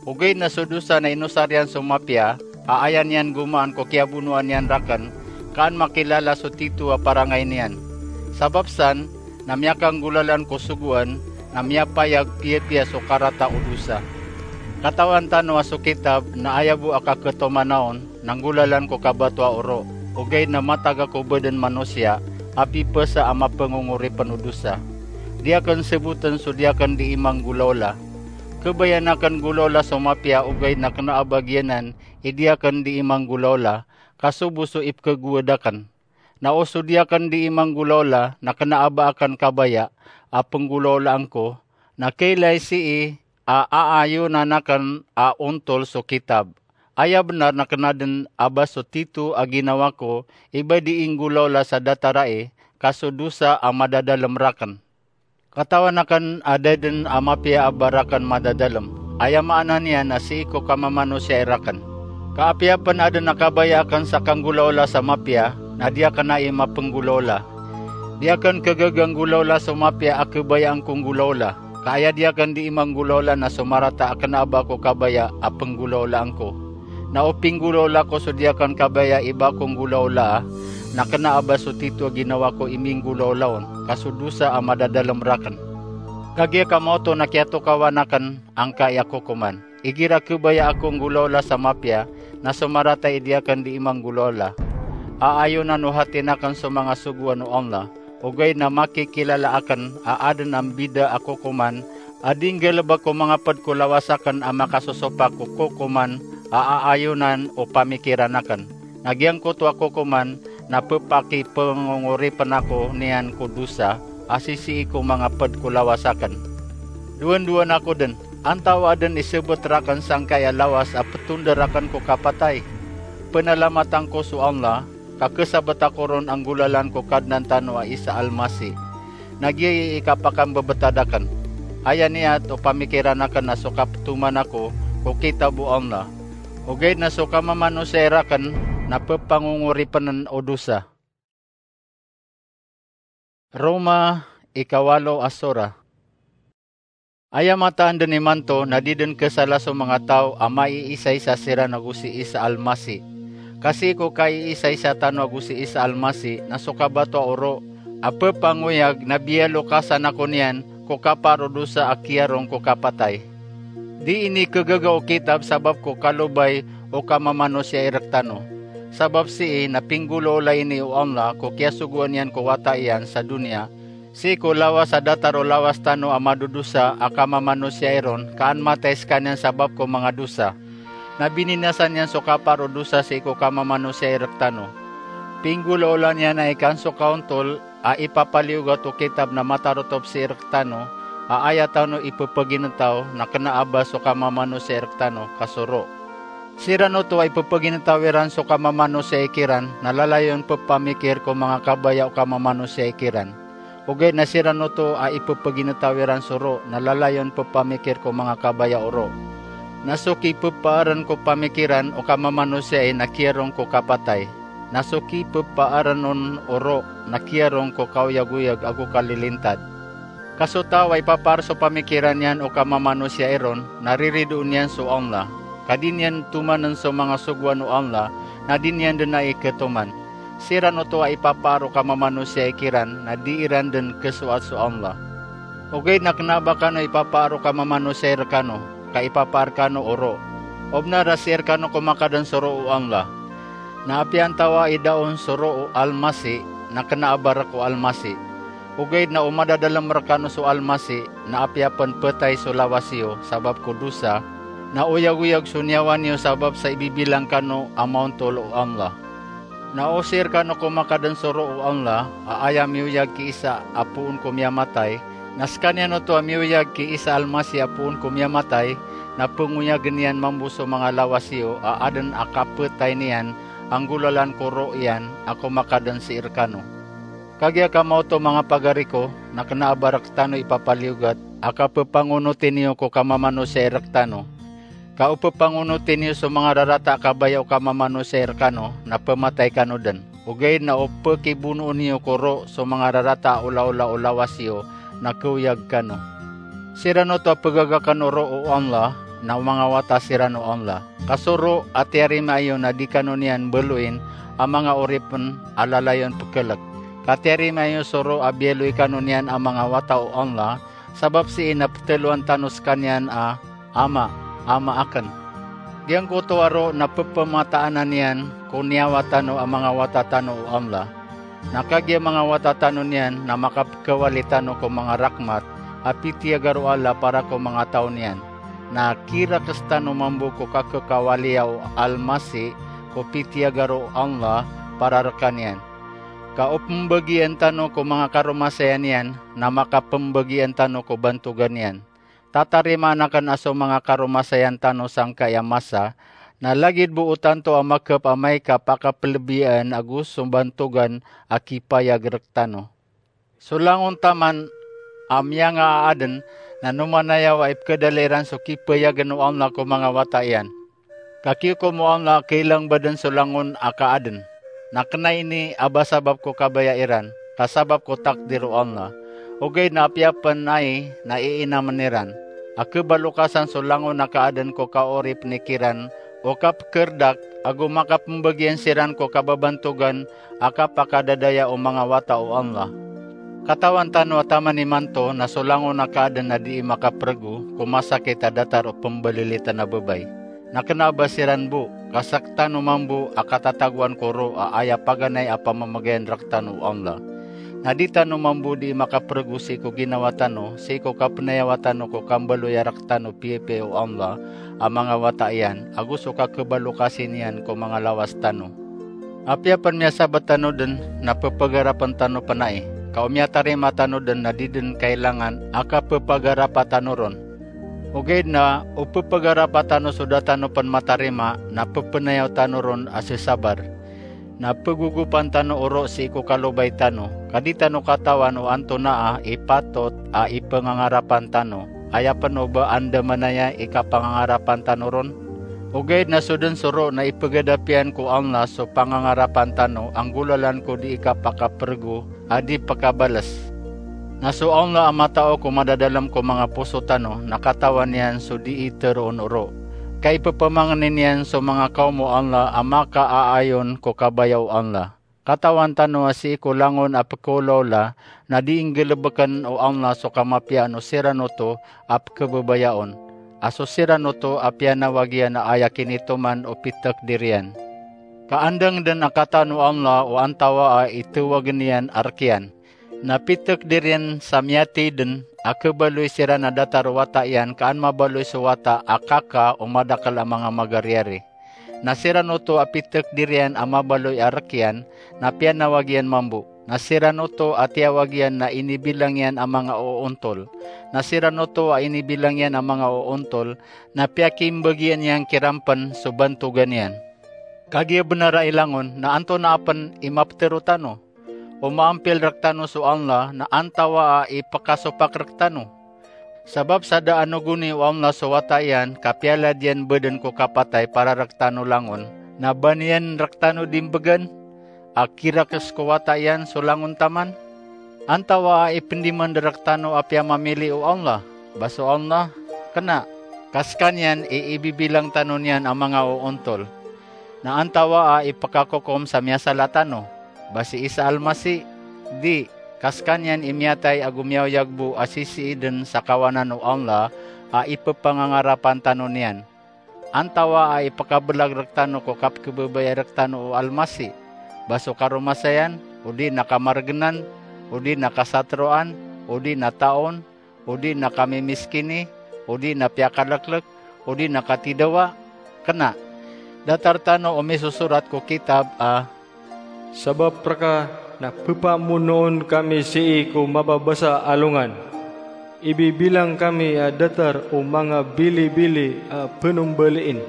Ogaid na so dosa na inosar iyan so mapiya, a aya niyan gomaan ko kiyabonoan iyan rakn, ka an makilala so tito a parangay niyan. Sabap san, na miyakanggolalan ko sogoan, na miyapayag piyapiya so karata o dosa. Katawan tano a so kitab na aya bo a kakhatoman on, na nggolalan ko kabatoa o ro, ogaid na matag ako bo dn manosiya a pipasa a mapngongoripn o dosa. Di akn sabotn so di akn dii manggolaola. Khabayaan akn nggolaola so mapiya ogaid na kna a ba giyanan i di akn dii manggolaola, ka so bo so ipkhagowad akn. Na o so di akn dii manggolaola na kna a ba akn kabaya a pnggolaolaan ko, na kailay sii a aayonan akn a ontol so kitab. Aya bnar na kna dn a ba so tito a ginawa ko i ba dii nggolaola sa datar ai, ka so dosa a madadalm rakn. Katawan akn a da dn a mapiya a ba rakn madadalm. Aya maana niyan na sii ko kamamanosiya i rakn. Ka apiya pn adn a kabaya akn sa kanggolaola sa mapiya, na di akn ai mapnggolaola. Di akn khagaga nggolaola so mapiya a khabayaan ko nggolaola. Ka aya di akn dii manggolaola na so marata a kna a ba ko kabaya a pnggolaolaan ko. Na o pinggolaola ko so di akn kabaya i ba ko nggolaolaa, na kna a ba so tito a ginawa ko i minggolaola on, ka so dosa a madadalm rakn. Kagiya ka maoto na kiyatokawan akn angkai a kokoman. Igira khabaya ako nggolaola sa mapiya, na so marata i di akn dii manggolaola. Aayonan o hatin akn so manga sogoan o Allah, ogaid na makikilala akn a adn a mbida a kokoman a di nggalbk ko manga pd ko lawas akn a makasosopak ko kokoman a aayonan o pamikiran akn. Na giyangkoto a kokoman na pphakipngongoripn ako niyan ko dosa a sisii ko manga pd ko lawas akn. Dowandowan ako dn, antaa dn i sabt rakn sangkai a lawas a ptondar akn ko kapatay? Pnalamatan ko so Allah, ka khasabt ako ron a nggolalan ko Kadnan tano a Isa Almasi. Na giyai i kapakambebetad akn. Aya niyat o pamikiran akn na so kaptoman ako ko kitab o Allah. Ogaid na so kamamanosiya i rakn na pphangongoripn o dosa. Roma, ikawalo a sora. Aya mataan dn imanto na di dn khasala so manga taw a maiisaisa siran ago si Isa Almasi. Ka sii ko kaiisaisa tano ago si Isa Almasi na so kabatoa o ro a ppangoyag na biyalokasan ako niyan ko kapaar o dosa a kiyarong ko kapatay. Di inikhagaga o kitab sabap ko kalobay o kamamanosiya i rktano. Sabap sii na pinggolaola ini o Allah ko kiyasogoan iyan ko wata iyan sa doniya, sii ko lawas a datar o lawas tano a madodosa a kamamanosiya i ron, ka an matay skaniyan sabap ko manga dosa. Na bininasan iyan so kapaar o dosa sii ko kamamanosiya i rktano. Pinggolaola niyan a ikan so kaontol a ipapaliyogat o kitab na matarotop sii rktano, a aya tano ippagintaw na kna a ba so kamamanosiya i rktano ka so ro. Siran oto a ippagintaw iran so kamamanosiya i kiran na lalayon pphamikir ko manga kabaya o kamamanosiya i kiran. Ogaid na siran oto a ippagintaw iran so ro na lalayon pphamikir ko manga kabaya o ro. Na so kippaarn ko pamikiran o kamamanosiya i na kiyarong ko kapatay. Na so kippaarn on o ro na kiyarong ko kaoyagoyag ago kalilintad. Ka so taw a ipapaar so pamikiran iyan o kamamanosiya i ron na riridoon iyan so Allah. Ka di niyan tomann so manga sogoan o Allah na di niyan dn ai khatoman. Siran oto a ipapaar o kamamanosiya i kiran na di iran dn khasoat so Allah. Ogaid na kna a ba kano ipapaar o kamamanosiya i rkano. ka ipapaar kano o ro. O bnar a sii rkano komakadan so ro o Allah. Na apiya antawaa i da on so ro o Almasih, na kna a ba rk o Almasih. Ogaid na o madadalm rkano so Almasih, na apiya pn ptay so lawas iyo sabap ko dosa, na oyagoyag so niyawa niyo sabap sa ibibilang kano a maontol o Allah. Na o sii rkano komakadan so ro o Allah a aya miyoyag ki Isa a poon ko miyamatay, na skaniyan oto a miyoyag ki Isa Almasih a poon ko miyamatay, na pngoyagn iyan mambo so manga lawas iyo a adn a kaptay niyan a nggolalan ko ro iyan a komakadan sii rkano. Kagiya kamaoto, manga pagari ko, na kna a ba rktano ipapaliyogat a kappangonoti niyo ko kamamanosiya i rktano. Ka o ppangonoti niyo so manga rarata a kabaya o kamamanosiya i rkano, na pmatay kano dn. Ogaid na o pkibonoon iyo ko ro so manga rarata a olaola o lawas iyo, na khaoyag kano. Siran oto a pgaga kano ro o Allah, na o manga wata siran o Allah. Ka so ro a tiyarima iyo na di kano niyan mbaloyin a manga oripn a lalayon pkhalk. Ka tiyarima iyo so ro a biyaloy kano niyan a manga wata o Allah, sabap sii na ptharoon tano skaniyan a Ama, Ama akn. Giyangkoto a ro na pphamataanan iyan ko niyawa tano a manga wata tano o Allah. Na kagiya manga wata tano niyan na makapkhawali tano ko manga rakmat a pitiyagar o Allah para ko manga taw niyan. Na kirakes tano mambo ko kakhakawaliya o Almasih ko pitiyagar o Allah para rkaniyan. Ka o pmbagian tano ko manga karomasaya niyan na makapmbagian tano ko bantogan iyan. Tatarimaan akn a so manga karomasayan tano sangkai a masa, na lagid bo o tanto a makhap amay ka pakaplbiyaan ago so bantogan a kipayag rktano. So langon taman a miyangaaden na nomanayaw a ipkhadala iran so kipayagen o Allah ko manga wata iyan. Ka kiyokom o Allah a kailang baden so langon a kaaden. Na kena ini a ba sabap ko kabaya iran, ka sabap ko takdir o Allah. Ogaid na apiya pen ai na iinamen iran a kebalokasan so langon a kaaden ko kaoripen kiran o kapkerdak, ago makapembagian siran ko kababantogan a kapakadadaya o manga wata o Allah. Katawan tano a taman imanto na so langon a kaaden na dii makaprego ko masakit a datar o pembalilitan a babay. Na kena a ba siran bo, ka sektano mambo a katatagoan ko ro a aya paganay a pamamagayan rektano o Allah. Na di tano mambo dii makaprego sii ko ginawa tano, sii ko kapenayawa tano ko kambaloya rektano piyapiya o Allah a manga wata iyan, ago so kakebalokasi niyan ko manga lawas tano. Apiya pen miyasabat tano den na pepagarapen tano pen ai, ka o miyatarima tano den na di den kailangan a kapepagarapa tano ron. Ogaid na o pepagarapa tano so da tano pen matarima na pepenayaw tano ron a sesabar. Na pegogopan tano o ro sii ko kalobay tano, ka di tano katawan o antonaa i patot a ipengangarapan tano, aya pen o ba andamanaya i kapangangarapan tano ron. Ogaid na so den so ro na ipegadapiyan ko Allah so pangangarapan tano a nggolalan ko dii kapakaprego a di pekabales. Na so Allah a matao ko madadalem ko manga poso tano na katawan iyan so dii teroon o ro. Ka ipepamangnin iyan so manga kaom o Allah a makaaayon ko kabaya o Allah. Katawan tano a sii ko langon a pekeolaola na dii nggelebeken o Allah so kamapiyaan o siran oto a pekebabayaon, a so siran oto a piyanawag iyan a aya kinitoman o pitakdir iyan. Ka andang den a katawan o Allah o antawaa i tawagen iyan a rek iyan. Na pitakdir iyan sa miyathay den a kebaloy siran a datar o wata iyan ka an mabaloy so wata a kaka o madakel a manga magariyari. Na siran oto a pitakdir iyan a mabaloy a rek iyan na piyanawag iyan mambo. Na siran oto a tiyawag iyan na inibilang iyan a manga oontol. Na siran oto a inibilang iyan a manga oontol na piyakimbagian iyan kiran pen so bantogan iyan. Kagiya benar a ilangon na antonaa pen i mapetero tano? O maampil rektano so Allah na antawaa i pekasopak rektano? Sabap sa da a nogoni o Allah so wata iyan ka piyalad iyan baden ko kapatay para rektano langon, na ba niyan rektano dimbegan a kirakes ko wata iyan so langon taman? Antawaa i pendemand rektano a piyamamili o Allah? Ba so Allah? Kena, ka sekaniyan i ibibilang tano niyan a manga oontol. Na antawaa i pekakokom sa miyasala tano? Ba si Isa Almasih? Di, ka sekaniyan i miyatay ago miyaoyag bo a sisiiden sa kawanan o Allah a ipepangangarapan tano niyan. Antawaa i pekabelag rektano ko kapekebebaya rektano o Almasih? Ba so karomasayan, odi na kamargenan, odi na kasateroan, odi na taon, odi na kamimiskini, odi na piyakaleklek, odi na katidawa? Kena. Datar tano o misosorat ko kitab a, sabap reka na pepamonoon kami sii ko mababasa a alongan. Ibibilang kami a datar o manga bilibili a penombalin.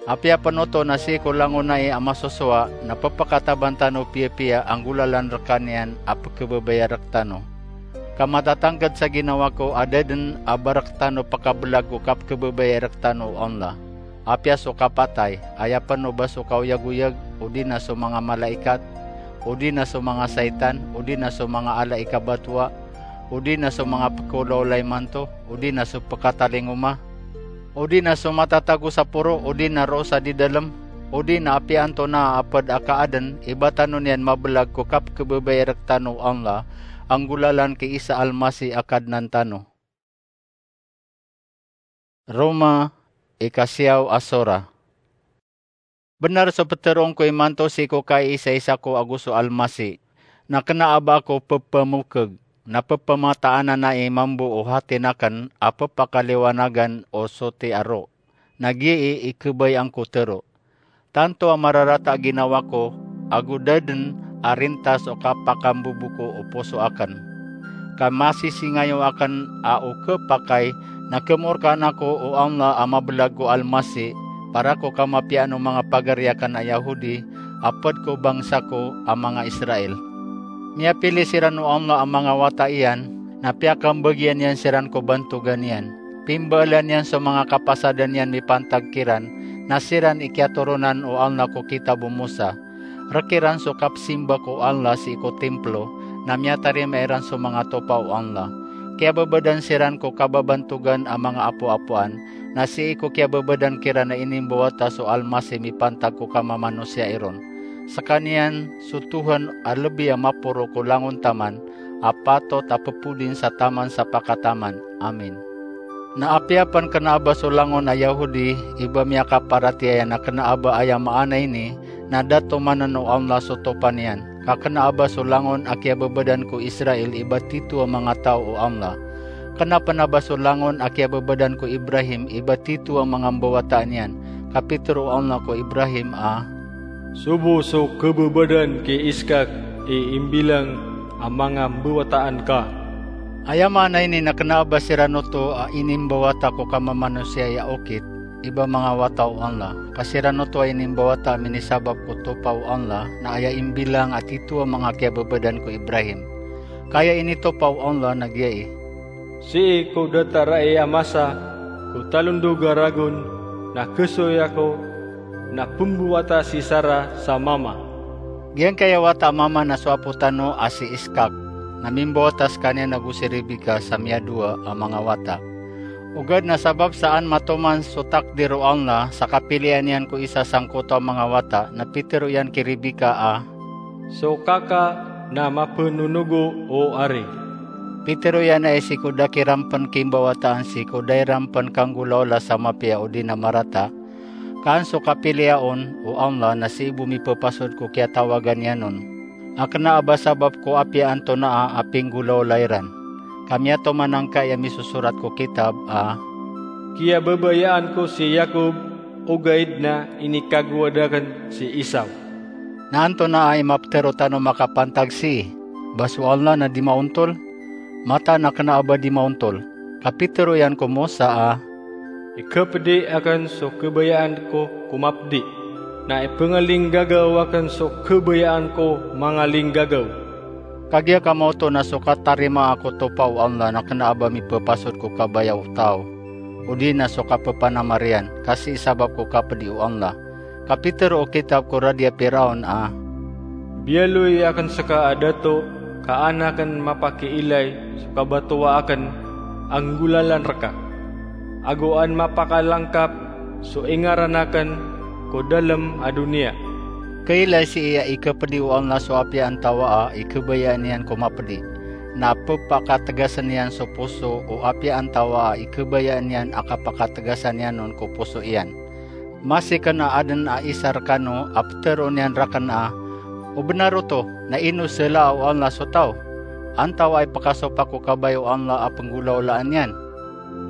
Apiya pen oto na sii ko langon ai a masosowa na pepekataban tano piyapiya a nggolalan reka niyan a pekebebaya rektano. Ka matatangked sa ginawa ko a da den a ba rektano pekabelag ko kapekebebaya rektano o Allah. Apiya so kapatay, aya pen o ba so kaoyagoyag, odi na so manga malaikat, odi na so manga saitan, odi na so manga ala i kabatowa, odi na so manga pekeolaola imanto, odi na so pekatalingoma, odi na so matatago sa poro, odi na roo sa didalem, odi na apiya antonaa a ped a kaaden, i ba tano niyan mabelag ko kapekebebaya rektano o Allah a nggolalan ki Isa Almasih a Kadnan tano. Roma, ikasiyaw a sora. Benar so peteroon ko imanto sii ko kaiisaisa ko ago so Almasih, na kena a ba ako pepemokeg, na pepemataan anan i mambo o hatin aken a pepakaliwanagan o soti a roo. Na giyai i kebayaan ko tero. Tanto a mararata a ginawa ko, ago da den a rintas o kapakambobo ko o poso aken. Ka masisingayo aken a o kepakay na kemorkaan ako o Allah a mabelag ko Almasih, para ko kamapiyaan o manga pagari aken a Yahudi, a ped ko bangsa ko a manga Israel. Miyapili siran o Allah a manga wata iyan, na piyakambagian iyan siran ko bantogan iyan. Pimbaalan iyan so manga kapasadan iyan mipantag kiran, na siran i kiyatoronan o Allah ko kitab o Musa. Rek iran so kapsimba ko Allah sii ko timplo, na miyatarima iran so manga topa o Allah. Kiyababadan siran ko kababantogan a manga apoapoan, na sii ko kiyababadan kiran a inimbawata so Almasih mipantag ko kamamanosia iron. Sekaniyan so Tuhan a lebi a maporo ko langon taman, a patot a pepodin sa taman sa pakataman. Amin. Na apiya pen kena a ba so langon a Yahudi i ba miyakaparatiyaya na kena a ba aya maana ini, na da tomanen o Allah so topa niyan. Ka kena a ba so langon a kiyababadan ko Israel i ba tito a manga taw o Allah. Kena pen a ba so langon a kiyababadan ko Ibrahim i ba tito a manga mbawataan iyan. Ka pitero o Allah ko Ibrahim a, sobo so kababadan ki Iskak i imbilang a manga mbawataan ka. Aya maana ini na kena a ba siran oto a inimbawata ko kamamanosia a okit, i ba manga wata o Allah. Ka siran oto a inimbawata a minisabap ko topa o Allah, na aya imbilang a tito a manga kiyababadan ko Ibrahim. Ka aya initopa o Allah na giyai, sii ko datar ai a masa ko talondog a ragon, na kesoy ako, na pembawata si Sara sa mama. Giyangkaya wata a mama na so apo tano a si Iskak, na mimbawata sekaniyan ago si Rebeka sa miyadowa a manga wata. Ogaid na sabap sa an matoman so takdir o Allah sa kapilian iyan ko isa sangkoto a manga wata, na pitero iyan ki Rebeka a, so kaka na mapenonogo, o ari. Pitero iyan a sii ko da kiran pen kimbawataan sii ko da iran pen kanggolaola sa mapiya odi na marata, ka an so kapiliya on o Allah na sii bo mipepasod ko kiyatawagan iyan on. A kena a ba sabap ko apiya antonaa a pinggolaola iran. Ka miyatoman angkai a misosorat ko kitab a, kiyababayaan ko si Yakob, ogaid na inikagowad aken si Esau. Na antonaa i mapetero tano makapantag sii? Ba so Allah na di maontol? Mataan a kena a ba di maontol. Ka pitero iyan ko Musa a, ikapedi aken so kabayaan ko ko mapedi, na ipengalinggagaw aken so kabayaan ko mangalinggagaw. Kagiya ka maoto na so katarimaa ko topa o Allah na kena a ba mipepasod ko kabaya o taw, odi na so kapepanamar iyan, ka sii sabap ko kapedi o Allah. Ka pitero o kitab ko radi a Firaon a, biyaloy aken seka a dato, ka an aken mapakiilay so kabatowa aken a nggolalan reka, ago an mapakalangkap so ingaran aken ko dalem a doniya. Kailay sii a ikapedi o Allah so apiya antawaa i kabayaan iyan ko mapedi. na pepakategasen iyan so poso o apiya antawaa i kebayaan iyan a kapakategasan iyan on ko poso iyan. Masi ken a aden a isa rekano a petero niyan raken a, "O benar oto, na ino selaa o Allah so taw? Antawaa i pekasopak o kabaya o Allah a penggolaolaan iyan?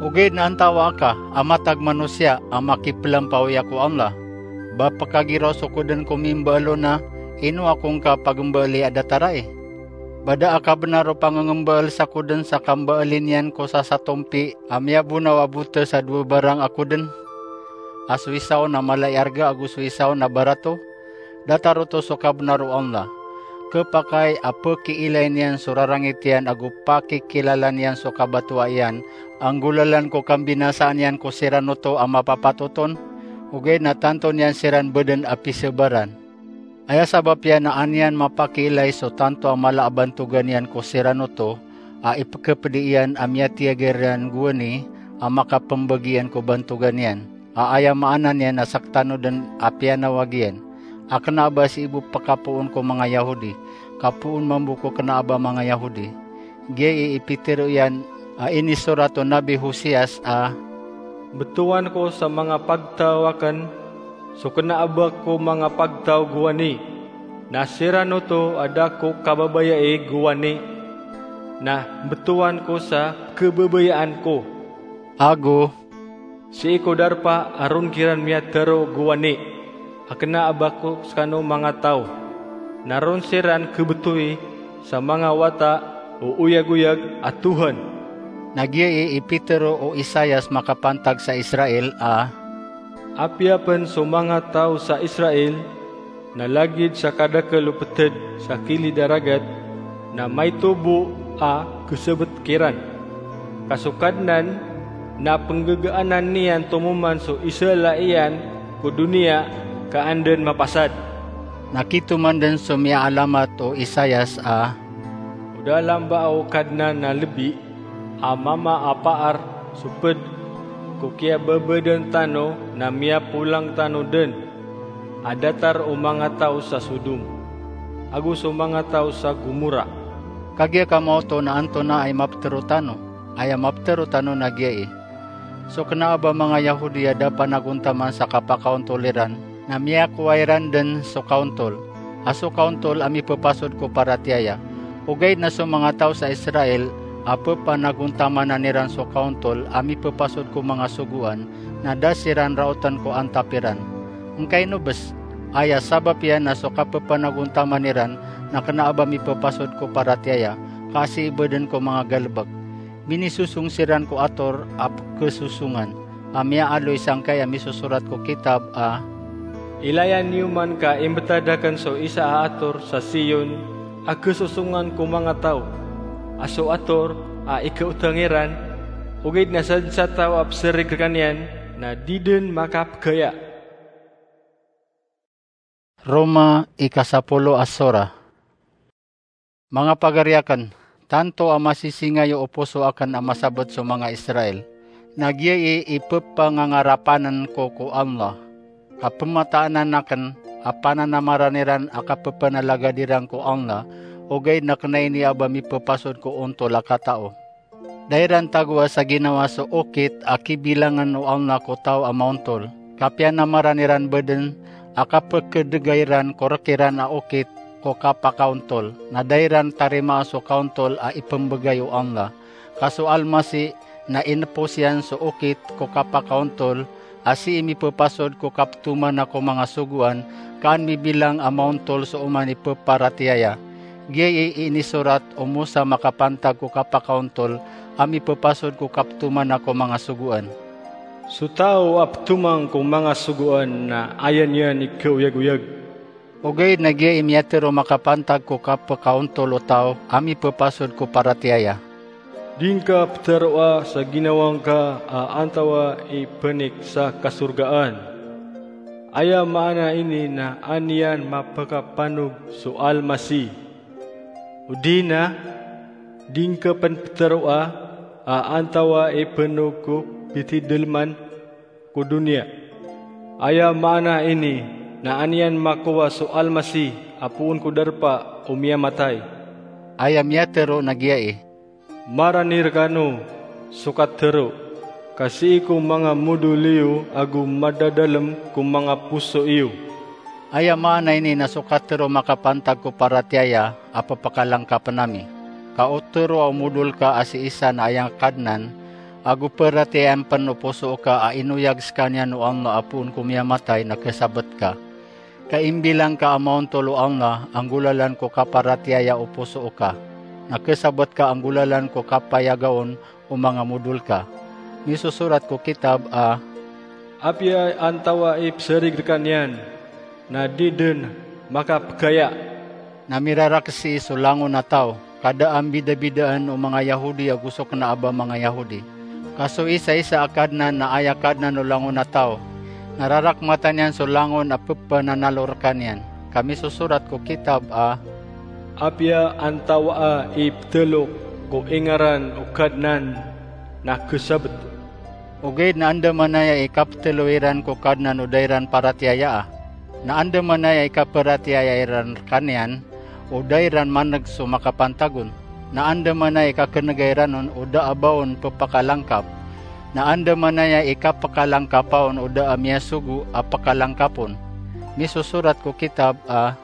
Ogaid na antawaa ka a matag manosiya a makipelampawiya ko Allah? Ba pekagiraw so ko den ko mimbaal on a ino ako ngka pagembaali a datar ai? Ba da a kabenar o pangengembaal sa ko den sa kambaali niyan ko sasatompi a miyabonaw a botes a dowa barang a ko den, a so isa on a mala i arga ago so isa on a barato? Datar oto so kabenar o Allah. Kepakay a pekiilay niyan so rarangit iyan ago pakikilala niyan so kabatoa iyan, a nggolalan ko kambinasaan iyan ko siran oto a mapapatot on, ogaid na tanto niyan siran beden a pisebaran. Aya sabap iyan na an iyan mapakiilay so tanto a mala a bantogan iyan ko siran oto a ipekepedi iyan a miyatiyaga iran gowani a makapembagi iyan ko bantogan iyan, a aya maana niyan na sektano den a piyanawag iyan, a kena a ba sii bo pekapoon ko manga Yahudi, kapoon mambo ko kena a ba manga Yahudi." Giyai i pitero iyan a inisorat o Nabi Hosias a, "Betowan ko sa manga pagtaw aken so kena a ba ko manga pagtaw gowani, na siran oto a da ko kababayai gowani, na betowan ko sa kebabayaan ko." Ago, "Sii ko darpa a ron kiran miyatero gowani, a kena a ba ko sekano manga taw, na ron siran kebetowi sa manga wata o oyagoyag a Tohan." Na giyai i pitero o Isaias makapantag sa Israel a, "Apiya pen so manga taw sa Israel na lagid sa kadakel o peted sa kilid a ragat, na maito bo a kesebet kiran. Ka so Kadnan na penggegaanan niyan tomoman so isala iyan ko doniya ka an den mapasad." Na kitoman den so miyaalamat o Isaias a, "O da lamba o Kadnan na lebi a mama a paar so ped ko kiyababadan tano na miyapolang tano den a datar o manga taw sa Sodom ago so manga taw sa Gomora." Kagiya ka maoto na antonaa i mapetero tano? Aya mapetero tano na giyai, so kena a ba manga Yahudi a da panagontaman sa kapakaontol iran, na miyakowa iran den so kaontol, a so kaontol a mipepasod ko paratiyaya. Ogaid na so manga taw sa Israel a pepanagontamanan iran so kaontol a mipepasod ko manga sogoan, na da siran raoten ko antap iran. Ngkaino bes? Aya sabap iyan na so kapepanagontaman iran na kena a ba mipepasod ko paratiyaya, ka sii bo den ko manga galebek. Minisosong siran ko ator a pekesosongan, a miyaaloy sangkai a misosorat ko kitab a, "Ilayan iyo man ka imbetad aken so isa a ator sa Sion a kesosongan ko manga taw, a so ator a ikaotang iran, ogaid na sadn sa taw a peserig rekaniyan na di den makapegaya." Roma, ikasapolo a sora. Manga pagari aken, tanto a masisingayo o poso aken a masabet so manga Israel, na giyai i pepangangarapanen ko ko Allah. Ka pemataanan aken a pananamaran iran a kapepanalagad iran ko Allah, ogaid na kena ini a ba mipepasod ko ontol a katao. Da iran tagoa sa ginawa so okit a kibilangen o Allah ko taw a maontol. Kapiyanamaran iran bo den a kapekedega iran ko rek iran a okit ko kapakaontol, na da iran tarimaa so kaontol a ipembegay o Allah. Ka so Almasih na inepos iyan so okit ko kapakaontol, a sii mipepasod ko kaptomana ko manga sogoan, ka an mibilang a maontol so oman i peparatiyaya. Giyai i inisorat o Mosa makapantag ko kapakaontol a mipepasod ko kaptomana ko manga sogoan. So taw a petomang ko manga sogoan na aya niyan i kaoyagoyag. Ogaid na giyai i miyatero makapantag ko kapekaontol o taw a mipepasod ko paratiyaya. Di ngka petaroa sa ginawa ngka a antawaa i penik sa kasorgaan. Aya maana ini na an iyan mapekapanog so Almasih. Odi na, di ngka pen petaroa a antawaa i penog ko pitideleman ko doniya. Aya maana ini na an iyan makowa so Almasih a poon ko darpa o miyamatay. Aya miyatero na giya i, "Marani rekano so katero, ka sii ko manga modol iyo ago madadalem ko manga poso iyo." Aya maana ini na so katero makapantag ko paratiyaya a pepakalangkapen ami. Ka o tero a omodol ka a sii san a aya Kadnan, ago paratiyayaan pen o poso ka a inoyag sekaniyan o Allah a poon ko miyamatay na kesabet ka. Ka imbilang ka a maontol o Allah a nggolalan ko kaparatiyaya o poso ka, na kesabet ka a nggolalan ko kapayagaon o manga modol ka. Misosorat ko kitab a, "Apiya antawa i pesarig rekaniyan, na di den makapegaya." Na mirarak sii so langon a taw, ka da a mbidabidaan o manga Yahodi ago so kena a ba manga Yahodi. Ka so isaisa a Kadnan na aya Kadnan o langon a taw, na rarakmatan iyan so langon a pepananalo rekaniyan. Ka misosorat ko kitab a, "Apiya antawaa i petelok ko ingaran o Kadnan na kesabet." Ogaid na andamanaya i kapetelo iran ko Kadnan o da iran paratiyayaa. Na andamanaya i kaparatiyaya iran rekaniyan o da iran maneg so makapantag on. Na andamanaya i kakenega iran on o da a ba on pepakalangkap. Na andamanaya i kapekalangkapa on o da a miyasogo a pekalangkap on. Misosorat ko kitab a,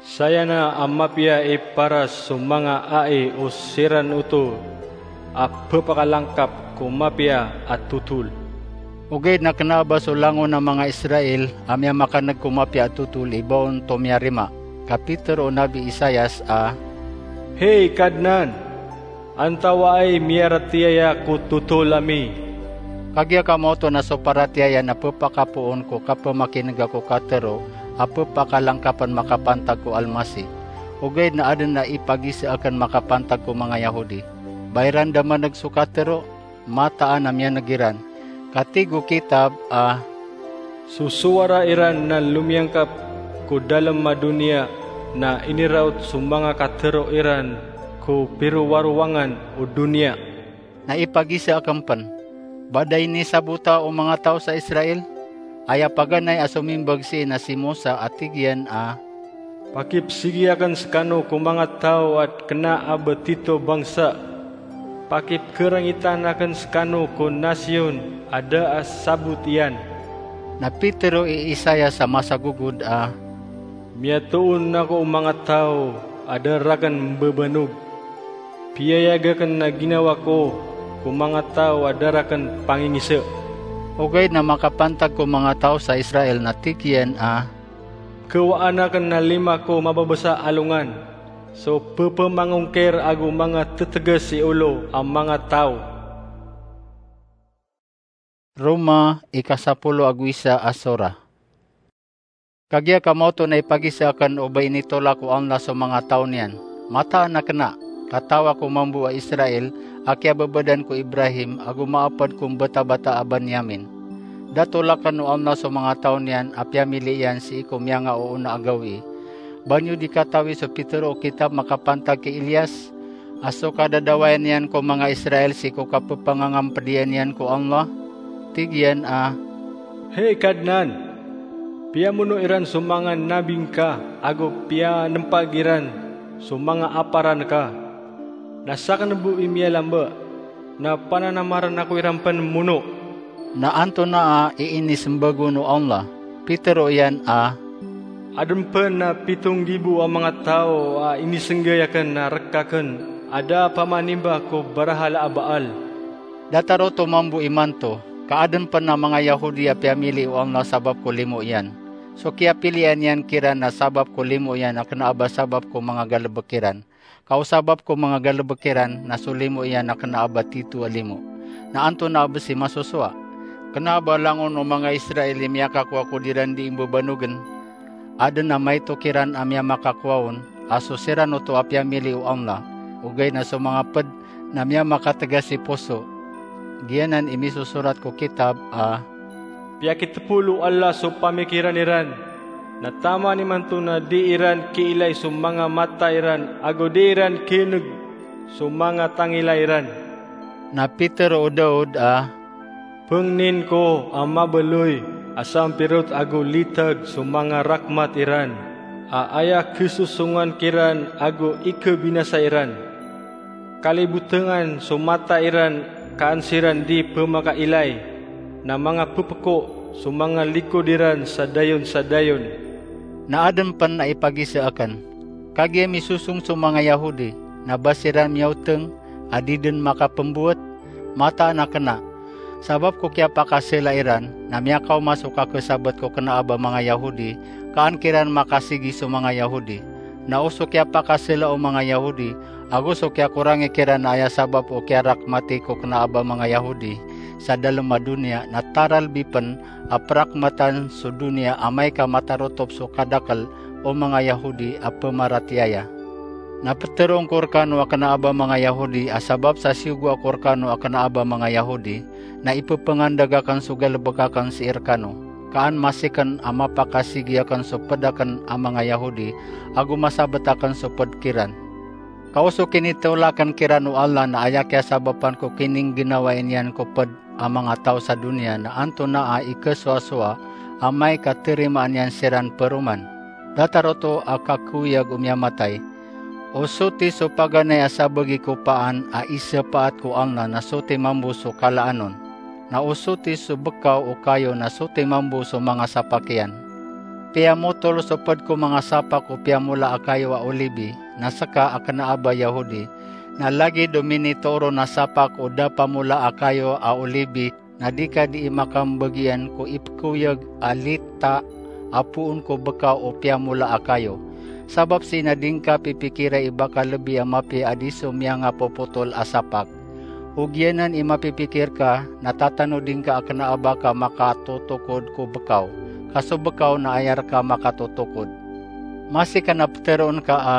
"Saya na a mapiya i paras so manga ai o siran oto a pepakalangkap ko mapiya a totol." Ogaid na kena a ba so langon a manga Israel a miyamakaneg ko mapiya a totol i ba on tomiyarima. Ka pitero o Nabi Isaias a, "Hey Kadnan, antawaa i miyaratiyaya ko totol ami?" Kagiya ka maoto na so paratiyaya na pepakapoon ko kapemakinega ko katero a pepakalangkapen makapantag ko Almasih. Ogaid na aden a ipagiza aken makapantag ko manga Yahodi. Ba iran da maneg so katero, mataan a miyaneg iran. Ka tig o kitab a, "So sowara iran na lomiyangkap ko dalem a doniya, na iniraot so manga katero iran ko pirowarowangan o doniya." Na ipagiza aken pen, ba da inisabota o manga taw sa Israel? Aya paganay a somimbag sii na si Mosa a tig iyan a, "Pakipesigi aken sekano ko manga taw a kena a ba tito bangsa. Pakipekerengitan aken sekano ko nasiyon a da a sabot iyan." Na pitero i Isaias a masagogod a, "Miyatoon ako o manga taw a da raken mbebanog. Piyayag aken a ginawa ko ko manga taw a da raken pangingisa." Ogaid na makapantag ko manga taw sa Israel na tig iyan a, "Kewaan aken a lima ko mababasa a alongan so pepemangongkir ago manga tetegas i olo a manga taw." Roma, ikasapolo ago isa a sora. Kagiya ka maoto na ipagiza aken o ba initolak o Allah so manga taw niyan. Mataan a kena, ka taw ako mambo a Israel, a kiyababadan ko Ibrahim, ago maaped ko mbetabata a Banyamin. Da tolaken o Allah so manga taw niyan a piyamili iyan sii ko miyangaoona a gawii. Ba niyo di katawi so pitero o kitab makapantag ki Elias, a so kadadawayan iyan ko manga Israel sii ko kapepangangampediyan iyan ko Allah? Tig iyan a, "Hey Kadnan, piyamono iran so manga nabi ngka ago piyanempag iran so manga aparan ka. Na saken bo i miyalamba, na pananamaran ako iran pen mono." Na antonaa i inisembag on o Allah? Pitero iyan a, "Aden pen a pito nggibo a manga taw a inisenggay aken a rek aken a da a pamanimba ko barahala a Baal." Datar oto mambo imanto, ka aden pen a manga Yahodi a piyamili o Allah sabap ko limo iyan. So kiyapilian iyan kiran na sabap ko limo iyan a kena a ba sabap ko manga galebek iran. Ka o sabap ko manga galebek iran na so limo iyan na kena a ba tito a limo. Na antonaa bes i masosowa? Kena a ba langon o manga Israel i miyakakowa ko di iran di imbebanogen? Aden a maito kiran a miyamakakowa on, a so siran oto a piyamili o Allah, ogaid na so manga ped na miyamakatega si poso. Giyanan i misosorat ko kitab a, "Piyakitepol o Allah so pamikiran iran, na taman imanto na di iran kiilay so manga mata iran ago di iran kiineg so manga tangila iran." Na pitero o Daud a, "Pengnin ko a mabaloy a sampirot ago litag so manga rakmat iran." a aya khesosongan kiran ago ikhabinasa iran. Kalibotengan so mata iran ka an siran di pemakailay, na manga pepeko so manga likod iran sa dayon sa dayon. Na aden pen a ipagisa aken, kagiya misosong so manga Yahudi, na ba siran miyaoteng a di den makapembowet? Mataan a kena. Sabap ko kiyapakasela iran, na miyakaoma so kakesabet ko kena a ba manga Yahudi, ka an kiran makasigi so manga Yahudi. Na o so kiyapakasela o manga Yahudi, ago so kiyakorangi kiran a aya sabap o kiyarakmati ko kena a ba manga Yahudi sa dalem a doniya, na taralbi pen a perakmatan so doniya amay ka matarotop so kadakel o manga Yahudi a pemaratiyaya. Na peteroon ko rekano a kena a ba manga Yahudi a sabap sa siyogoa ko rekano a kena a ba manga Yahudi, na ipepengandeg aken so galebek aken sii rekano, ka an masiken a mapakasigi aken so ped aken a manga Yahudi, ago masabet aken so ped kiran. Ka o so kinitolaken kiran o Allah na aya kiyasabapan ko kiningginawa niyan ko ped a manga taw sa doniya na antonaa i kesowasowa amay ka terimaan iyan siran peroman. Datar oto a kakoyag o miyamatay. O soti so paganay a sabagi ko paan a isapaat ko Allah na soti mambo so kalaan on. Na o soti so bekaw o kayo na soti mambo so manga sapak iyan. Piyamotol so ped ko manga sapak o piyamola a kayo a olibi, na seka a kena a ba Yahudi, na lagid o minitoron a sapak o dapamola a kayo a olibi, na di ka dii makambegian ko ipekoyag a lita a poon ko bekaw o piyamola a kayo. Sabap sii na di ngka pipikirai i ba ka lebi a mapiya a di so miyangapopotol a sapak. O giyanan i mapipikir ka, na tatanodi ngka a kena a ba ka makatotokod ko bekaw, ka so bekaw na aya reka makatotokod. Masi ka na peteroon ka a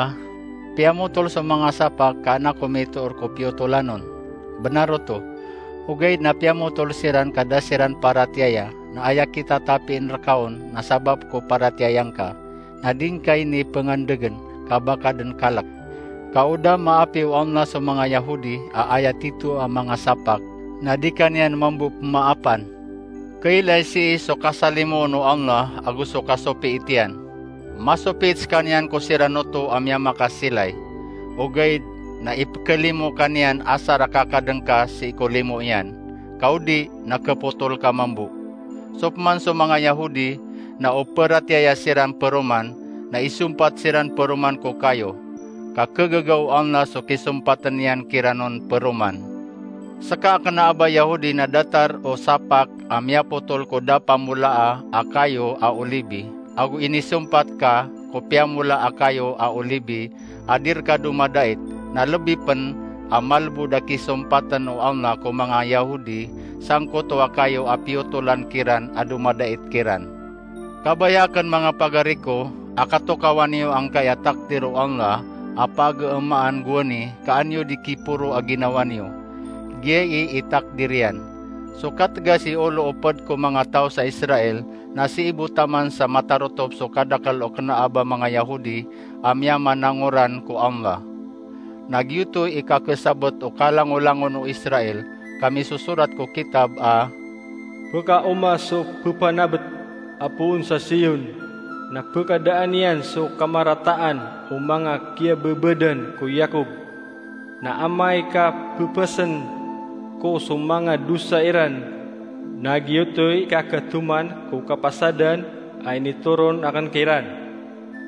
piyamotol so manga sapak ka an ako mitoor ko piyotolan on. Benar oto. Ogaid na piyamotol siran ka da siran paratiyaya, na aya kitatapin reka on na sabap ko paratiyaya ngka, na di ngka ini pengandegen ka ba ka den kalek. Ka o da maapi o Allah so manga Yahudi a aya tito a manga sapak, na di ka niyan mambo pemaapan. Kailay sii so kasalimoon o Allah ago so kasopiit iyan. Masopiit sekaniyan ko siran oto a miyamakasilay. Ogaid na ipekelimo ka niyan asar a kakadeng ka sii ko limo iyan. Ka o di na kepotol ka mambo. So peman so manga Yahudi na o peratiyaya siran peroman, na isompat siran peroman ko kayo. Ka kegaga o Allah so kisompaten iyan kiran on peroman. Seka a kena a ba Yahudi na datar o sapak a miyapotol ko dapamolaa a kayo a olibi, ago inisompat ka ko piyamola a kayo a olibi a di reka domadait, na lebi pen a malbod a kisompaten o Allah ko manga Yahudi sangkoto a kayo a piyotolan kiran a domadait kiran. Kabaya aken manga pagari ko, a katokawan iyo angkai a takdir o Allah a pageemaan gowani ka an iyo di kiporo a ginawa niyo. Giyai i takdir iyan. So kategas i olo o ped ko manga taw sa Israel na sii bo taman sa matarotop so kadakel o kena a ba manga Yahudi a miyamanangoran ko Allah. Na giyoto i kakesabet o kalangolangon o Israel, ka misosorat ko kitab a, "Pekaoma so pepanabet a poon sa Sion, na pekadaan iyan so kamarataan o manga kiyabebadan ko Yakob. Na amay ka pepasen ko so manga dosa iran, na giyoto i kaketoman ko kapasadan a initoron aken kiran."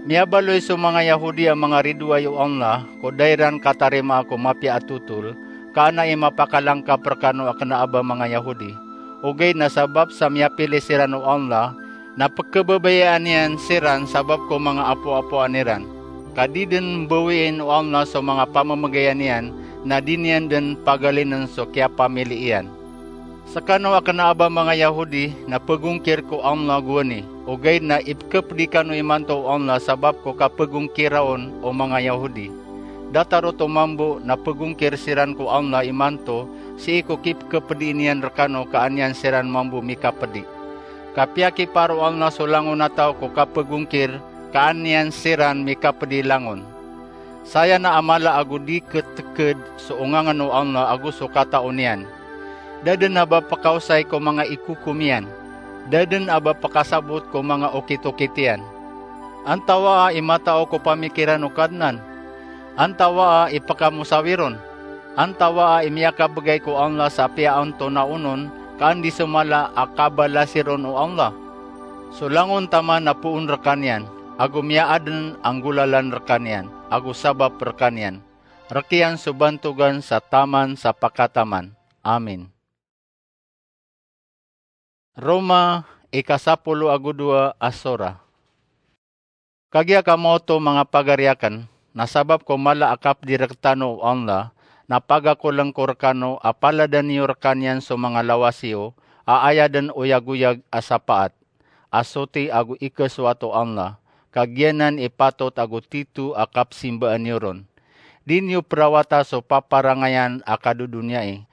Miyabaloy so manga Yahudi a manga ridoay o Allah ko da iran katarimaa ko mapiya a totol, ka an a i mapakalangkap rekano a kena a ba manga Yahudi. Ogaid na sabap sa miyapili siran o Allah, na pekebabayaan iyan siran sabap ko manga apoapoan iran. Ka di den mbawiin o Allah so manga pamemegayan iyan, na di niyan den pagalinen so kiyapamili iyan. Sekano a kena a ba manga Yahudi na pegongkir ko Allah gowani, ogaid na ipekepedi kano imanto o Allah sabap ko kapegongkira on o manga Yahudi. Datar oto mambo na pegongkir siran ko Allah imanto sii ko kipekepedi niyan rekano ka an iyan siran mambo mikapedi. Ka piyakipar o Allah so langon a taw ko kapegongkir ka an iyan siran mikapedi langon. Saya na a mala ago di keteked so ongangen o Allah ago so katao niyan. Da den a ba pekaosay ko manga ikokom iyan. Da den a ba pekasabot ko manga okitokit iyan. Antawaa i matao ko pamikiran o Kadnan? Antawaa i pkamosawiron? Antawaa i miyakabgay ko Allah sa apiya antonaa onon, ka anda i so mala a kabalasi ron o Allah? So langon taman na poon rkaniyan, ago miyaaden a nggolalan rkaniyan, ago sabap rkaniyan. Rk iyan so bantogan sa taman sa pakataman. Amin. Roma, ika sapolo ago dowa a sora. Kagiya kamo oto, manga pagari akn, na sabap ko mala a kapdi rktano o Allah, na pagakolng ko rkano a paladan iyo rkaniyan so manga lawas iyo a aya dn oyagoyag a sapaat, a soti ago ikasowat o Allah, ka giyanan i patot ago tito a kapsimbaan iyo ron. Di niyo prawata so paparangayan a kadodoniyai.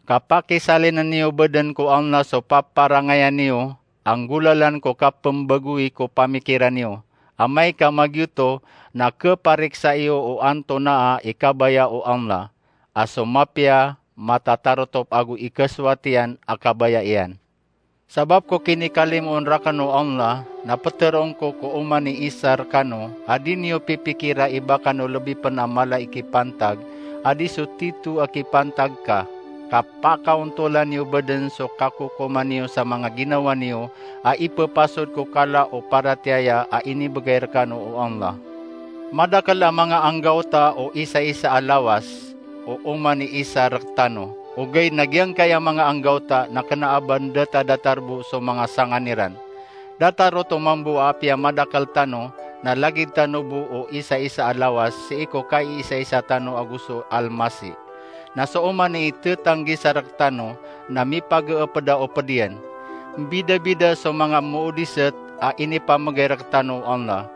Kapakisalinen iyo badn ko Allah so paparangayan iyo, a nggolalan ko kapmbagoi ko pamikiran iyo. Amay ka magiyoto, na kpariksa iyo o antonaa i kabaya o Allah, a so mapiya, matatarotop ago ikasowat iyan a kabaya iyan. Sabap ko kinikalimoon rakn o Allah, na ptharoon ko ko oman i isa rkano, a di niyo pipikira i ba kano lbi pn a mala i kipantag, a di so tito a kipantag ka, ka pakaontolan iyo badn so kakokoman iyo sa manga ginawa niyo, a ipphasod ko kala o paratiyaya a inibgay rkano o Allah. Madakl a manga anggawta o isaisa a lawas, o oman i isa rktano. Ogaid na giyangkaya manga anggawta na kna a ba ndata datar bo so manga sangan iran. Datar oto mambo a apiya madakl tano, na lagid tano bo o isaisa a lawas sii ko kaiisaisa tano ago so almasi. Na so oman i thtanggi sa rktano na mipagpda o pd iyan. Mbidabida so manga moodisat a inipamgay rktano o Allah.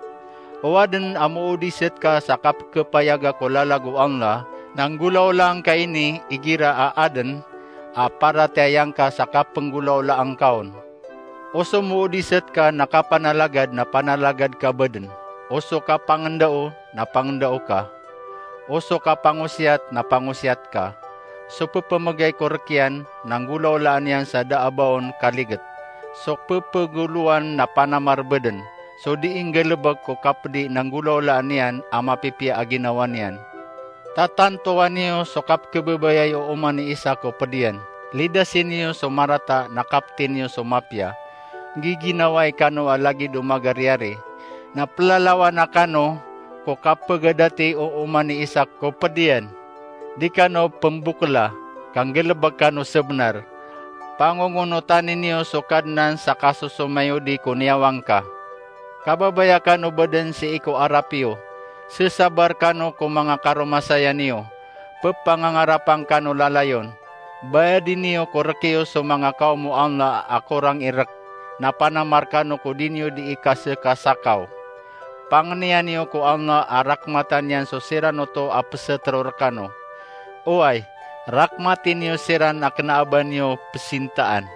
O adn a moodisat ka sa kapkhapayaga ko lalag o Allah, na nggolawlaan ka ini igira a adn a paratiyayaan ka sa kapnggolawlaan ka on. O so moodisat ka na kapanalagad na panalagad ka badn. O so kapangndao na pangndao ka. O so kapangosiyat na pangosiyat ka. So pphamgay ko rk iyan na nggolawlaan iyan sa da a ba on kaligit. So pphagoolowan na panamar badn. So dii nggalbk ko kapdi na nggolawlaan iyan a mapipiya a ginawa niyan. Tatantowan iyo so kapkhababayai o oman i isa ko pd iyan. Lidasi niyo so marata na kapti niyo so mapiya. Nggiginawai kano a lagid o magariyari. Na plalawana kano ko kapagadati o oman i isa ko pd iyan. Di kano pmbokla, ka nggalbk kano sabnar. Pangongonotani niyo so Kadnan sa kasosomayodi ko niyawang ka. Kababaya kano badn sii ko arap iyo. Sasabar kano ko manga karomasaya niyo. Pphangangarapan kano lalayon. Bayadi niyo ko rk iyo so manga kaom o Allah a korang i rk. Na panamar kano ko di niyo dii kasakasakaw. Pangniya niyo ko Allah a rakmatan iyan so siran oto a pstharo rkano. Oway, rakmati niyo siran a kna a ba niyo psintaan.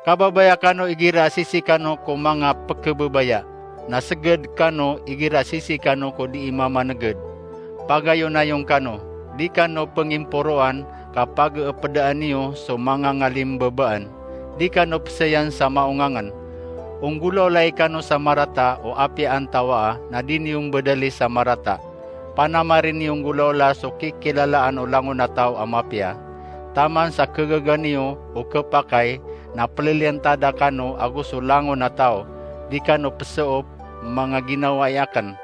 Kababaya kano igira sisi kano ko manga pkhababaya, na sgd kano igira sisi kano ko dii mamanegd. Pagayonayon kano, di kano pngimporoan, ka pagpdaan iyo so manga ngalimbabaan, di kano psayan sa maongangn. Onggolawlai kano sa marata o apiya antawaa na di niyo mbadali sa marata. Panamari niyo nggolawla so kikilalaan o langon a taw a mapiya. Taman sa khagaga niyo o khapakay na pliliyantada kano ago so langon a taw, di kano psoop manga ginawai akn.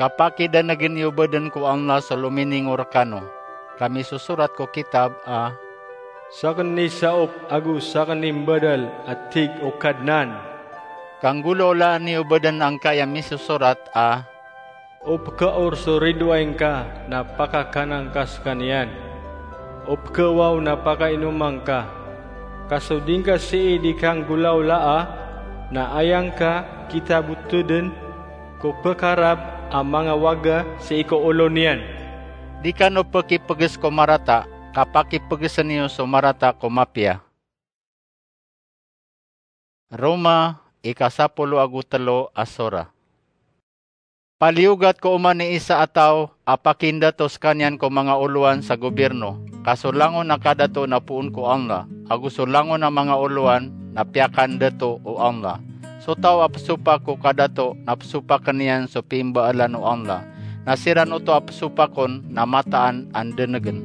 Kapakidanegn iyo badn ko Allah so lominingo rkano. Ka misosorat ko kitab a, sakn i saop ago sakn i mbadal a tig o Kadnan. Ka nggolawlaan iyo badn angkaya misosorat a, o pkhaor so ridoay ngka na pakakanan ka skaniyan. O pkhawaw na pakainoman ka. Ka so di ngka sii di kanggolawlaa na aya ngka kitabotodn ko pkharap a manga waga sii ko olo niyan. Di kano pkipgs ko marata, ka pakipgsn iyo so marata ko mapiya. Roma, ika sapolo ago tlo a sora. Paliyogat ko oman i isa a taw a pakindato skaniyan ko manga olowan sa gobirno, ka so langon a kadato na poon ko Allah, ago so langon a manga olowan na piyakandato o Allah. So taw a pesopak ko kadato na pesopakn iyan so pimbaalan o Allah, na siran oto a pesopakon na mataan a ndenegen.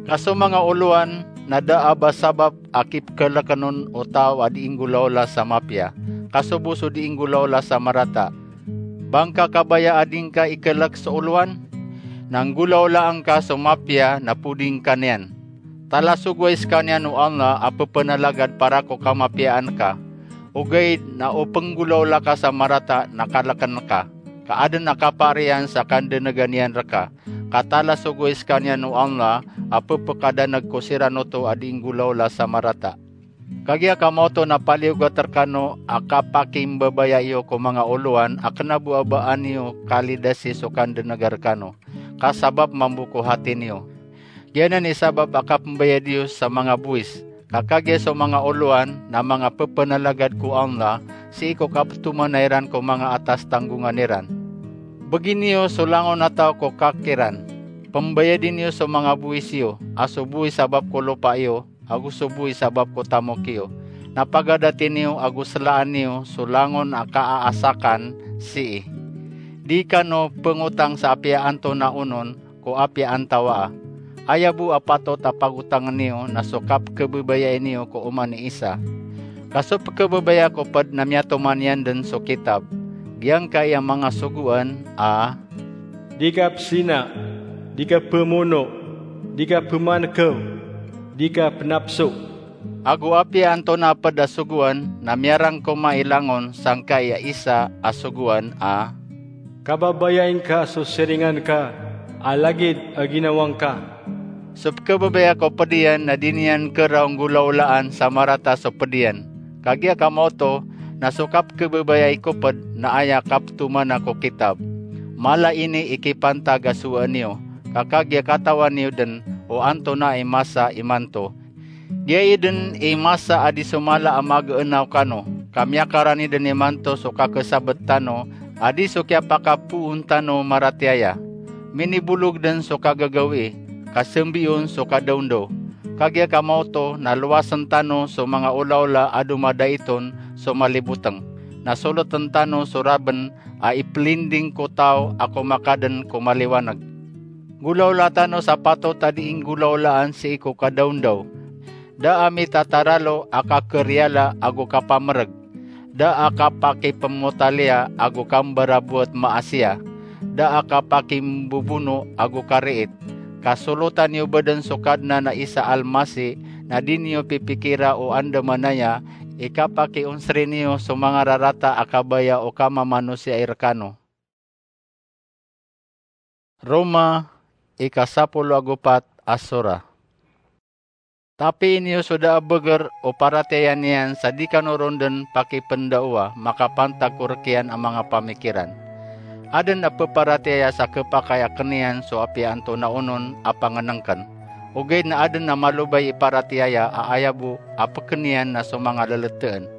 Ka so manga olowan na da a ba sabap a kipekeleken on o taw a dii nggolawla sa mapiya, ka so bo so dii nggolawla sa marata. Ba ngka kabaya a di ngka ikelek so olowan? Na nggolawlaan ka so mapiya na podi ngka niyan. Talasogowai sekaniyan o Allah a pepenalagad para ko kamapiyaan ka. Ogaid na o penggolawla ka sa marata na kaleken ka, ka aden a kapaar iyan sa kandenegan iyan reka. Ka talasogowai sekaniyan o Allah a pepekadaneg ko siran oto a dii nggolawla sa marata. Kagiya ka maoto na paliyogat rekano a kapakimbabaya iyo ko manga olowan a kena bo a ba an iyo kalidasi so kandenega rekano, ka sabap mambo ko hati niyo. Giyanan i sabap a kapembayad iyo sa manga bowis. Ka kagiya so manga olowan na manga pepenalagad ko Allah, sii ko kapetomana iran ko manga atas tanggongan iran. Begin iyo so langon a taw ko kak iran. Pembayadi niyo so manga bowis iyo, a so bowis sabap ko lopa iyo, ago so bowis sabap ko tamok iyo. Na pagadati niyo ago selaan niyo so langon a kaaasakan sii. Di kano pengotang sa apiya antonaa onon ko apiya antawaa. Aya bo a patot a pagotangen iyo na so kapekebabayai niyo ko oman i isa. Ka so pekebabaya ko ped na miyatoman iyan den so kitab. Giyangkai a manga sogoan a: Di ka pesina, di ka pemono, di ka pemanekew, di ka penapso. Ago apiya antonaa ped a sogoan na miyarangkoma i langon sangkai a isa a sogoan a: Kababayai ngka so siringan ka a lagid a ginawa ngka. So pekebabaya ko ped iyan na di niyan keraw nggolawlaan sa marata so ped iyan. Kagiya ka maoto na so kapekebabayai ko ped na aya kapetomana ko kitab. Mala ini i kipantag a sowaan iyo, ka kagiya katawan iyo den o antonaa i masa imanto. Giya i den i masa a di so mala a mageenaw kano, ka miyakarani den imanto so kakesabet tano a di so kiyapakapoon tano maratiyaya. Minibolog den so kagagawii, ka sembiyon so kadaondaw. Kagiya ka maoto na lowasen tano so manga olaola a domadait on so maliboteng, na soleten tano so raben a ipelinding ko taw a komakaden ko maliwaneg. Nggolawla tano sa patot a dii nggolawlaan sii ko kadaondaw. Da a mitataralo a kakeriyala ago kapamereg. Da a kapakipemotaliya ago kambaraboat maasiya. Da a kapakimbobono ago kariit. Ka solotan iyo bo den so Kadnan a Isa Almasi, na di niyo pipikira o andamanaya i kapakionseri niyo so manga rarata a kabaya o kamamanosiya i rekano. Roma, ika sapolo ago pat a sora. Tapii niyo so da a beger o paratiyaya niyan sa di kano ron den pakipendaowa makapantag ko rekiyan a manga pamikiran. Aden a peparatiyaya sa kepakay a keniyan so apiya antonaa onon a pangenengken. Ogaid na aden a malobay i paratiyaya a aya bo a peken iyan na so manga leleteen.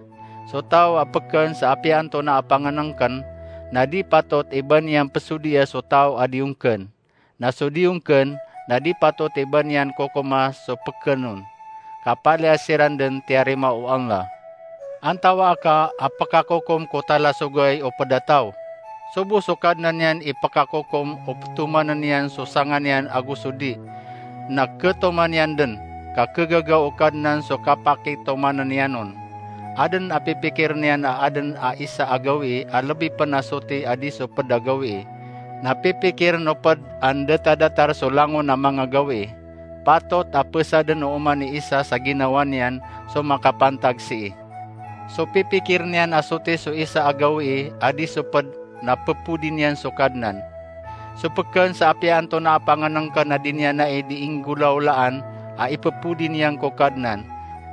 So taw a peken sa apiya antonaa a pangenengken, na di patot i ba niyan pesodia so taw a di ongken. Na so di ongken, na di patot i ba niyan kokoma so peken on. Ka palaya siran den tiyarima o Allah. Antawaa ka a pekakokom ko talasogay o ped a taw? So bo so Kadnan iyan i pekakokom o petomanen iyan so sanga niyan ago so di. Na ketoman iyan den, ka kegagaw o Kadnan so kapakitomanen iyan on. Aden a pipikir niyan a aden a isa a gawii a lebi pen a soti a di so ped a gawii. Na pipikiren o ped a ndetadatar so langon a manga gawii. Patot a pesaden o oman i isa sa ginawa niyan so makapantag sii. So pipikir niyan a soti so isa a gawii a di so ped na pepodi niyan so Kadnan. So peken sa apiya antonaa a pangenengken a di niyan ai dii nggolawlaan a ipepodi niyan ko Kadnan,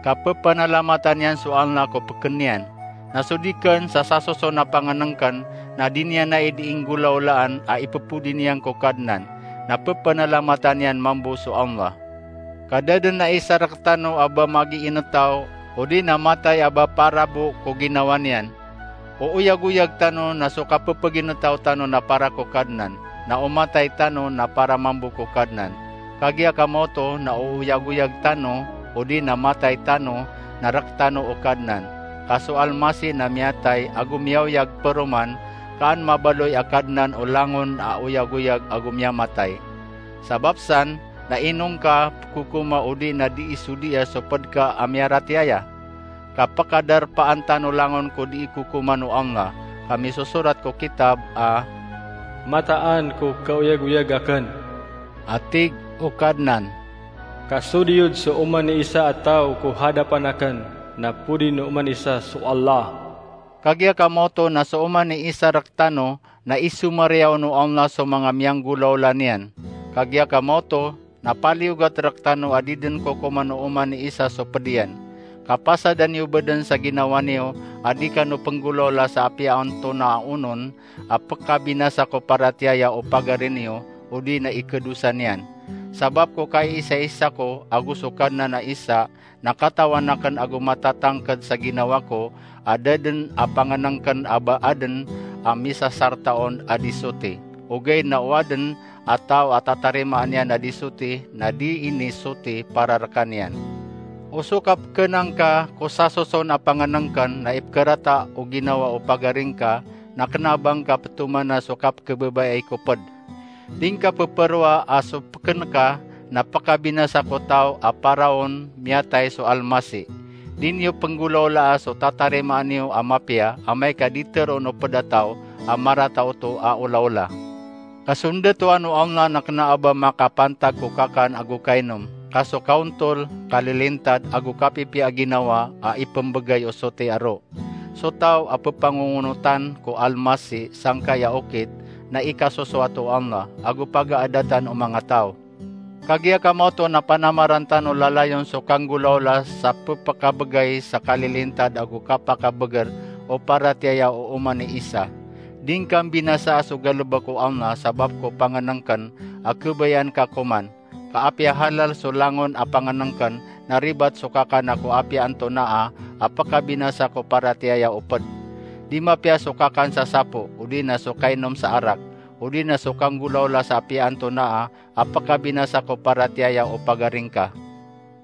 ka pepanalamatan iyan so Allah ko peken iyan. Na so di ken sa sasoson a pangenengken na di niyan ai dii nggolawlaan a ipepodi niyan ko Kadnan, na pepanalamatan iyan mambo so Allah. Ka da den a isa rektano a ba magiinetaw odi na matay a ba para bo ko ginawa niyan. O oyagoyag tano na so kapepeginetaw tano na para ko Kadnan, na o matay tano na para mambo ko Kadnan. Kagiya ka maoto na o oyagoyag tano odi na matay tano na rektano o Kadnan. Ka so Almasih na miyatay ago miyaoyag paroman, ka an mabaloy a Kadnan o langon a oyagoyag ago miyamatay. Sabap san, na ino ngka pkokoma odi na dii sodiya so pd ka a miyaratiyaya? Ka pkadarpaan tano langon ko dii kokoman o Allah, ka misosorat ko kitab a, "Mataan ko kaoyagoyag akn," a tig o Kadnan. "Ka sodiyod so oman i isa a taw ko hadapan akn, na podi no oman isa so Allah." Kagiya ka maoto na so oman i isa rktano na isomariyaw o Allah so manga miyanggolawla niyan. Kagiya ka maoto na paliyogat rktano a di dn kokoman o oman i isa so pd iyan. Ka pasadan iyo bdn sa ginawa niyo a di kano pnggolawla sa apiya antonaa onon a pkabinasa ko paratiyaya o pagari niyo odi na ikadosa niyan. Sabap ko kaiisaisa ko ago so Kadnan a isa na katawan akn ago matatangkd sa ginawa ko a da dn a pangnngkn a ba adn a misasarta on a di soti. Ogaid na o adn a taw a tatarimaan iyan a di soti na di ini soti para rkaniyan. O so kapkna ngka ko sasoson a pangnngkn na ipkarata o ginawa o pagari ngka na kna a ba ngka ptomana so kapkhababayai ko pd. Di ngka pphoroa a so pkn ka na pkabinasa ko taw a paraon miyatay so Almasih. Di niyo pnggolawlaa so tatarimaan iyo a mapiya amay ka di tharoon o pd a taw a marata oto a olaola. Ka so ndatoan o Allah na kna a ba makapantag ko kakan ago kainom, ka so kaontol, kalilintad ago kapipiya a ginawa a ipmbgay o soti a roo. So taw a ppangongonotan ko Almasih sangkai a okit na ikasosoat o Allah ago pagaadatan o manga taw. Kagiya ka maoto na panamaran tano lalayon so kanggolawla sa ppkabgay sa kalilintad ago kapakabgr o paratiyaya o oman i isa. Di ngka mbinasaa so galbk o Allah sabap ko pangnngkn a khabayaan ka koman. Ka apiya halal so langon a pangnngkn na ribat so kakan a ko apiya antonaa a pkabinasa ko paratiyaya o pd. Di mapiya so kakan sa sapo, odi na so kainom sa arak, odi na so kanggolawla sa apiya antonaa a pkabinasa ko paratiyaya o pagari ngka.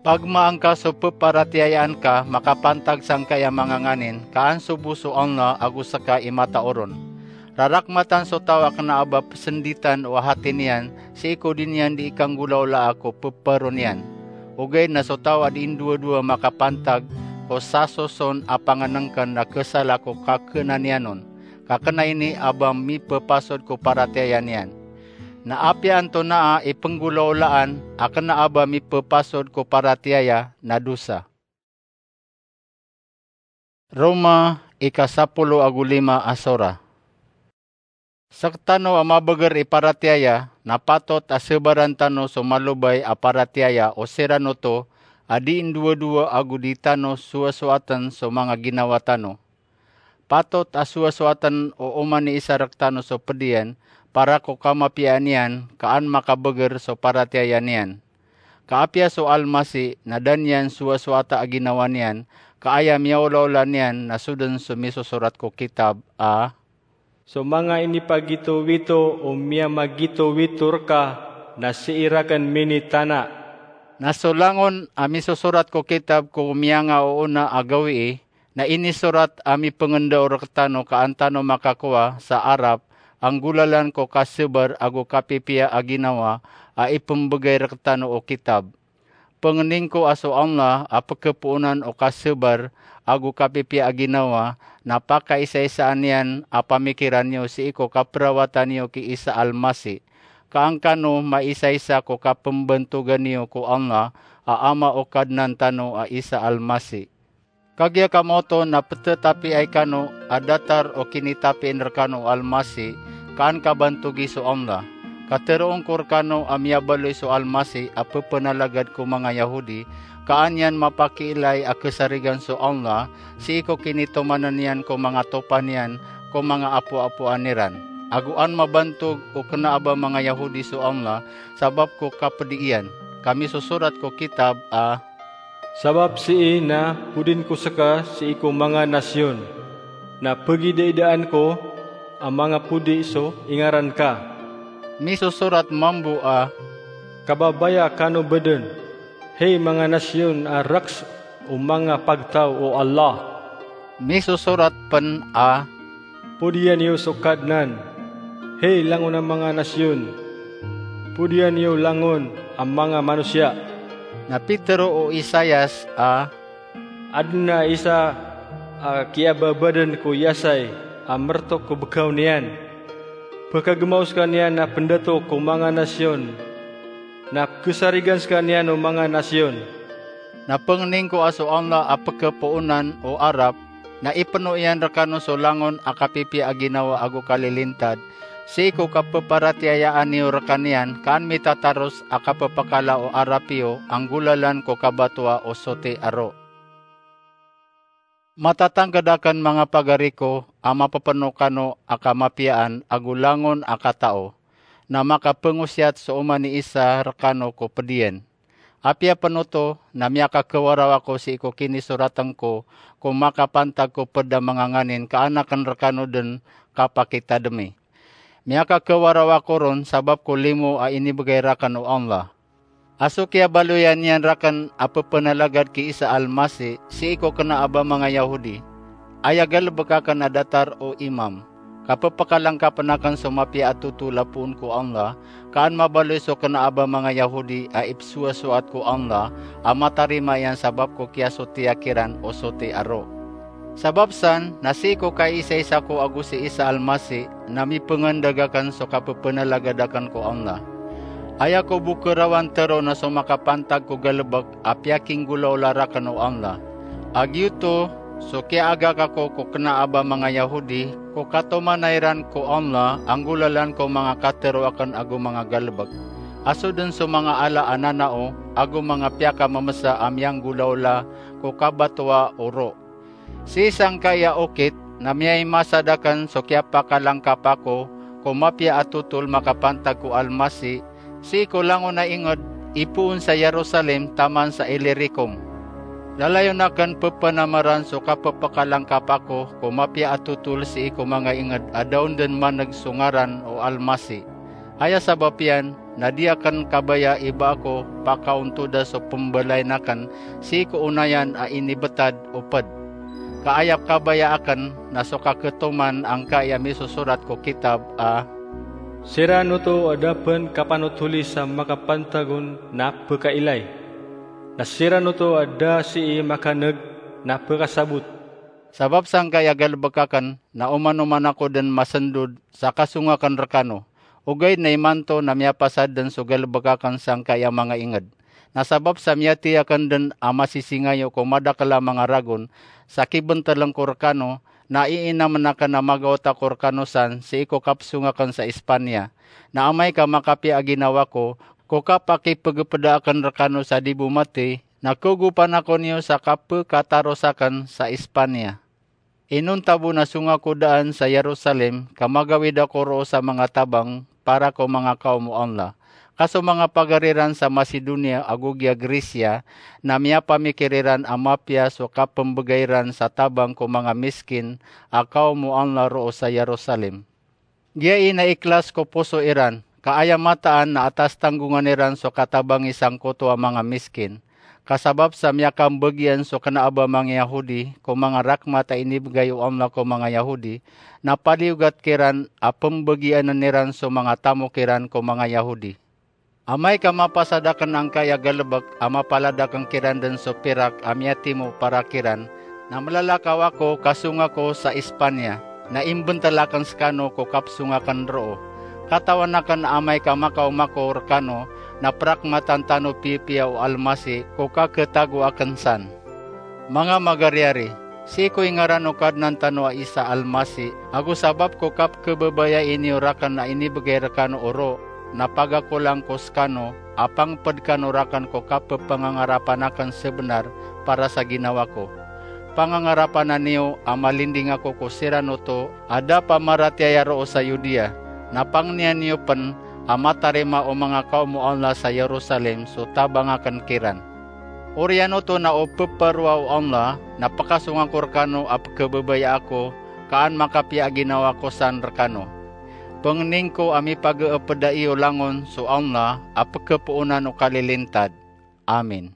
Pagmaa ngka so pparatiyayaan ka makapantag sangkai a manga nganin, ka an so bo so Allah ago ska i matao ron. Rarakmatan so taw a kna a ba psnditan o hati niyan sii ko di niyan di ikanggolawlaa ko ppharo niyan. Ogaid na so taw a di ndowadowa makapantag ko sasoson a pangnngkn na khasala ko kakhna niyan on, ka kna ini a ba mipphasod ko paratiyaya niyan. Na apiya antonaa i pnggolawlaan a kna a ba mipphasod ko paratiyaya na dosa. Roma, ika sapolo ago lima a sora. Sktano a mabagr i paratiyaya, na patot a sabaran tano so malobay a paratiyaya o siran oto a di ndowadowa ago di tano sowasowaten so manga ginawa tano. Patot a sowasowaten o oman i isa rktano so pd iyan, para ko kamapiyaan iyan, ka an makabagr so paratiyaya niyan. Ka apiya so Almasih na da niyan sowasowata a ginawa niyan, ka aya miyaolaola niyan na so dn so misosorat ko kitab a, "So manga inipagitowito o miyamagitowito rka na sii rakn minitana." Na so langon a misosorat ko kitab ko miyangaoona a gawii, na inisorat a mipngndao rktano ka an tano makakowa sa arap a nggolalan ko kasabar ago kapipiya a ginawa a ipmbgay rktano o kitab. Pangnin ko a so Allah a pkhapoonan o kasabar ago kapipiya a ginawa na pakaisaisaan iyan a pamikiran iyo sii ko kaprawatan iyo ki Isa Almasih, ka an kano maisaisa ko kapmbantogan iyo ko Allah a Ama o Kadnan tano a Isa Almasih. Kagiya kamaoto na ptatapiay kano a datar o kinitapiin rkano o Almasih, ka an kabantogi so Allah. Ka tharoon ko rkano a miyabaloy so Almasih a ppanalagad ko manga Yahudi, ka an iyan mapakiilay a khasarigan so Allah sii ko kinitomanan iyan ko manga topa niyan ko manga apoapoan iran. Ago an mabantog o kna a ba manga Yahudi so Allah sabap ko kapdi iyan. Ka misosorat ko kitab a, "Sabap sii na podin ko ska sii ko manga nasiyon, na pagidaidaan ko a manga podi so ingaran ka." Misosorat mambo a, "Kababaya kano bdn, hay manga nasiyon a raks o manga pagtaw o Allah." Misosorat pn a, "Podian iyo so Kadnan, hay langon a manga nasiyon! Podian iyo langon a manga manosiya!" Na pitharo o Isaias a, "Adn a isa a kiyababadan ko Yasay a mrtok ko bkaw niyan. Pkhagmaw skaniyan a pndato ko manga nasiyon, na pkhasarigan skaniyan o manga nasiyon." Na pngnin ko a so Allah a pkhapoonan o arap, na ipno iyan rkano so langon a kapipiya a ginawa ago kalilintad, sii ko kappharatiyayaan iyo rkaniyan, ka an mitataros a kappakala o arap iyo a nggolalan ko kabatoa o soti a roo. Matatangkd akn, manga pagari ko, a mapapno kano a kamapiyaan ago langon a katao, na makapngosiyat so oman i isa rkano ko pd iyan. Apiya pn oto, na miyakakhawaraw ako sii ko kinisoratn ko, ko makapantag ko pd a manga nganin, ka an akn rkano dn kapakitadmi. Miyakakhawaraw ako ron sabap ko limo a inibgay rakn o Allah. A so kiyabaloya niyan rakn a pphanalagad ki Isa Almasi sii ko kna a ba manga Yahudi, aya galbk akn a datar o imam, ka pphakalangkapn akn so mapiya a totol a poon ko Allah, ka an mabaloy so kna a ba manga Yahudi a ipsowasoat ko Allah a matarima iyan sabap ko kiyasotiya kiran o soti a roo. Sabap san, na sii ko kaisaisa ko ago si Isa Almasi, na mipngandag akn so kapphanalagad akn ko Allah. Aya ko bo kharawan tharoon na so makapantag ko galbk a piyakinggolaola rakn o Allah. A giyoto so kiyaagak ako ko kna a ba manga Yahudi, ko katomanay ran ko Allah a nggolalan ko manga katharo akn ago manga galbk, a so dn so manga ala a nanao ago manga piyakammsa a miyanggolaola ko kabatoa o roo. Sii sangkai a okit, na miyaimasad akn so kiyapakalangkap ako ko mapiya a totol makapantag ko Almasi, sii ko langon a ingd, ipoon sa Yerusalem taman sa Ilirikum. Lalayon akn pphanamaran so kapphakalangkap ako ko mapiya a totol sii ko manga ingd a da on dn man'g so ngaran o Almasi. Aya sabap iyan, na di akn kabaya i ba ako pakaontoda so pmbalayn akn sii ko onayan a inibtad o pd. Ka aya kabaya akn na so kakhatoman angkai a misosorat ko kitab a, "Siran oto a da pn kapanotoli sa makapantag on na pkailay. Na siran oto a da sii makan'g na pkasabot." Sabap sangkai a galbk akn na oman-oman ako dn masndod sa kasong akn rkano. Ogaid na imanto na miyapasad dn so galbk akn sangkai a manga ingd. Na sabap sa miyathay akn dn a masisingayo ko madakl a manga ragon sa kibntln ko rkano, na iinamn akn a magaot ako rkano san sii ko kapsong akn sa Espanya. Na amay ka makapiya a ginawa ko ko kapakipgpda akn rkano sa di bo mathay, na khagopan ako niyo sa kapkhataros akn sa Espanya. Inonta bo na song ako daan sa Yerusalem, ka magawid ako roo sa manga tabang para ko manga kaom o Allah. Ka so manga pagari ran sa Macedonia ago giya Grecia na miyapamikir iran a mapiya so kapmbgay ran sa tabang ko manga miskin a kaom o Allah roo sa Yerusalem. Giya i na ikhlas ko poso iran, ka aya mataan na atas tanggongan iran so katabangi sangkoto a manga miskin. Ka sabap sa miyakambgiyan so kna a ba manga Yahudi ko manga rakmat a inibgay o Allah ko manga Yahudi, na paliyogat kiran a pmbgiyanan iran so manga tamok iran ko manga Yahudi. Amay ka mapasad akn angkai a galbk a mapalad akn kiran dn so pirak a miyatimo para kiran, na mlalakaw ako ka song ako sa Espanya, na imbntl akn skano ko kapsong akn roo. Katawan akn a amay ka makaoma ako rkano, na prakmatan tano piyapiya o Almasi ko kakhatago akn san. Manga magariari, sii ko ingaran o Kadnan tano a Isa Almasi, ago sabap ko kapkhababayai niyo rakn a inibgay rkano o roo, na pagakolang ko skano a pangpd kano rakn ko kapphangangarapan akn sabnar para sa ginawa ko. Pangangarapan niyo a malinding ako ko siran oto a da pamaratiyaya roo sa Yudiya, na pangnian iyo pn a matarima o manga kaom o Allah sa Yerusalem so tabang akn kiran. Oriyan oto na o ppharo o Allah na pkasong ako rkano a pkhababayai ako, ka an makapiya a ginawa ko san rkano. Pangnin ko a mipagapda iyo langon so Allah a pkhapoonan o kalilintad. Amin.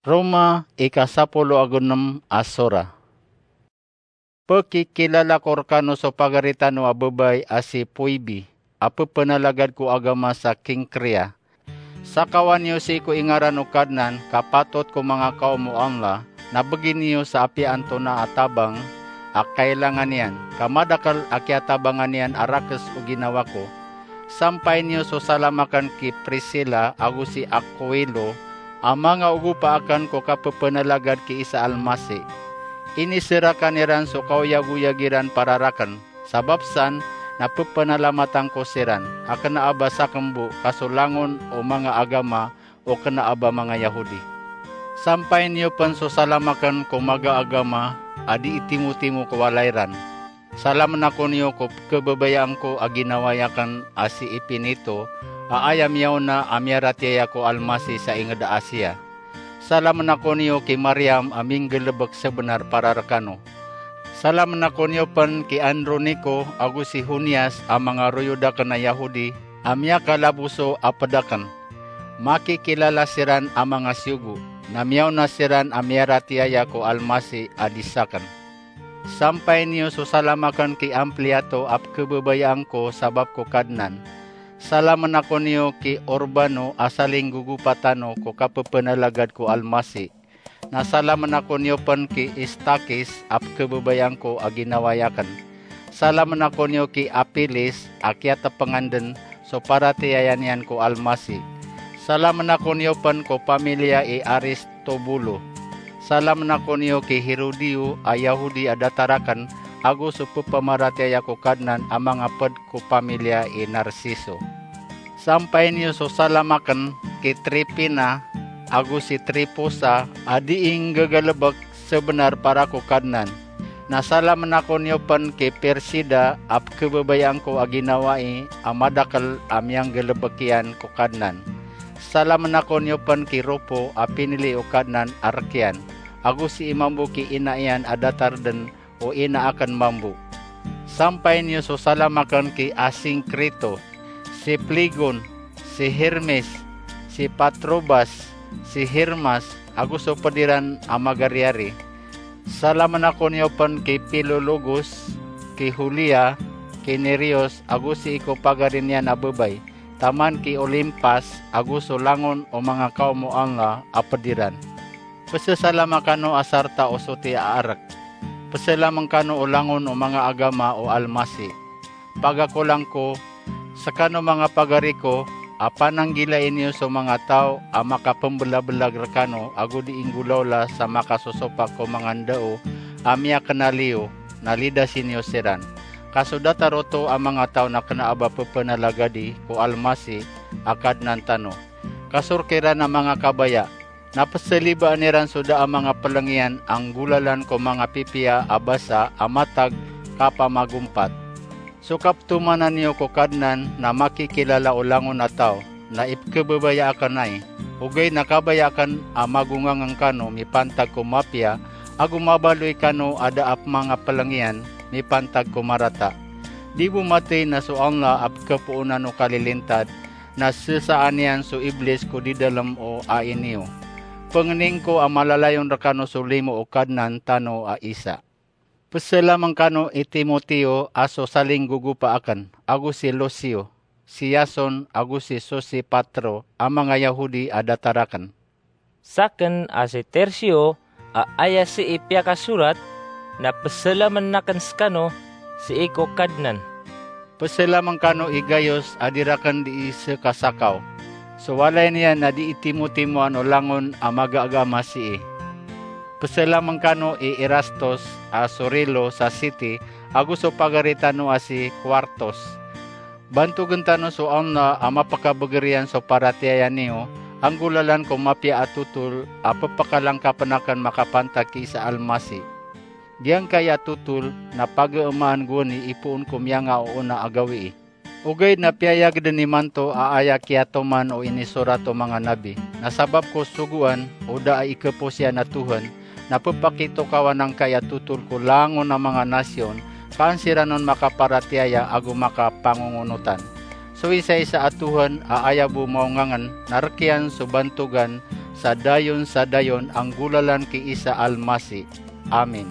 Roma, ika sapolo ago nem a sora. Pekikilala ko rekano so pagari tano a bebay a si Foibe, a pepenalagad ko agama sa Kenkrea. Sakawan iyo sii ko ingaran o Kadnan, ka patot ko manga kaom o Allah, na begi niyo sa apiya antonaa a tabang a kailangan iyan, ka madakel a kiyatabangan iyan a rakes o ginawa ko. Sampay niyo so salam aken ki Priscilla ago si Aquilo, a manga ogopa aken ko kapepenalagad ki Isa Almasi. Iniserakan iran so kaoyagoyag iran para raken. Sabap san, na pepenalamatan ko siran, a kena a ba sakembo ka so langon o manga agama o kena a ba manga Yahudi. Sampay niyo pen so salam aken ko magaagama a di itimotimo ko walay ran. Salamen ako niyo ko kebebayaan ko a ginawai aken a si Epinito, a aya miyaona a miyaratiyaya ko Almasi sa inged a Asia. Salamen ako niyo ki Mariam a minggelebek sebenar para rekano. Salamen ako niyo pen ki Androniko ago si Junias a manga royod aken a Yahudi a miyakalaboso a ped aken. Makikilala siran a manga siyogo, na miyaona siran a miyaratiyaya ko Almasi a di saken. Sampay niyo so salam aken ki Ampliato a pekebebayaan ko sabap ko Kadnan. Salamen ako niyo ki Urbano a salinggogopa tano ko kapepenalagad ko Almasi. Na salamen ako niyo pen ki Istakis a pekebebayaan ko a ginawai aken. Salamen ako niyo ki Apilis a kiyatepengan den so paratiyaya niyan ko Almasi. Salamen ako niyo pen ko pamilya i Aristobulo. Salamen ako niyo ki Herodio a Yahudi a datar aken, ago so pepamaratiyaya ko Kadnan a manga ped ko pamilya i Narciso. Sampay niyo so salam aken ki Trifina ago si Trifosa a di inggegalebek sebenar para ko Kadnan. Na salamen ako niyo pen ki Persida a pekebebayaan ko a ginawai a madakel a miyanggelebek iyan ko Kadnan. Salamen ako niyo pen ki Rufo a pinili o Kadnan a rek iyan, ago si ina mambo ki ina iyan a datar den o ina aken mambo. Sampay niyo so salam aken ki Asingkrito, si Flegon, si Hermes, si Patrobas, si Hermas, ago so ped iran a magariyari. Salamen ako niyo pen ki Filologus, ki Julia, ki Nereus, ago sii ko pagari niyan a bebay, taman ki Olimpas, ago so langon o manga kaom o Allah a ped iran. Pesesalama kano a sarta o soti a arek. Peselamen kano o langon o manga agama o Almasi. Pagakolang ko, sekano manga pagari ko, a pananggilai niyo so manga taw a makapembelabelag rekano ago di inggolawla sa makasosopak ko manga ndao a miyakenal iyo, na lidasi niyo siran. Ka so datar oto a manga taw na kena a ba pepenalagadi ko Almasi a Kadnan tano. Ka so rek iran a manga kabaya, na peselibaan iran so da a manga peleng iyan a nggolalan ko manga pipiya a basa a matag kapamagompat. So kaptomanan iyo ko Kadnan na makikilala o langon a taw, na ipekebebaya aken ai. Ogaid na kabaya aken a magongangen kano mipantag ko mapiya, ago mabaloy kano a da a manga peleng iyan mipantag ko marata. Di bo matey na so Allah a pekepoonan o kalilintad, na sesaan iyan so Iblis ko didalem o ai niyo. Pengening ko a malalayon rekano so limo o Kadnan tano a Isa. Peselamen kano i Timoteo a so salinggogopa aken, ago si Lusio, si Yason, ago si Sosipatro a manga Yahudi a datar aken. Saken a si Tertio a aya sii piyakasorat, na peselamen aken sekano sii ko Kadnan. Peselamen kano i Gayos a di raken dii sekasakaw. So walay niyan na dii timotimoan o langon a magaagama sii. Peselamen kano i Erastos a sorilo sa siti, ago so pagari tano a si Kuartos. Bantogen tano so Allah a mapekabeger iyan so paratiyaya niyo, a nggolalan ko mapiya a totol a pepekalangkapen aken makapantag ki Isa Almasi. Giyangkai a totol na pageemaan gowani ipoon ko miyanga o ona a gawii. Ogaid na piyayag den imanto a aya kiyatoman o inisorat o manga nabi, na sabap ko sogoan o da a ikepos iyan a Tohan, na pepakitokawan angkai a totol ko langon a manga nasiyon, ka an siran on makaparatiyaya ago makapangongonotan. So isaisa a Tohan a aya bo maongangen, na rek iyan so bantogan sa dayon sa dayon a nggolalan ki Isa Almasi. Amin.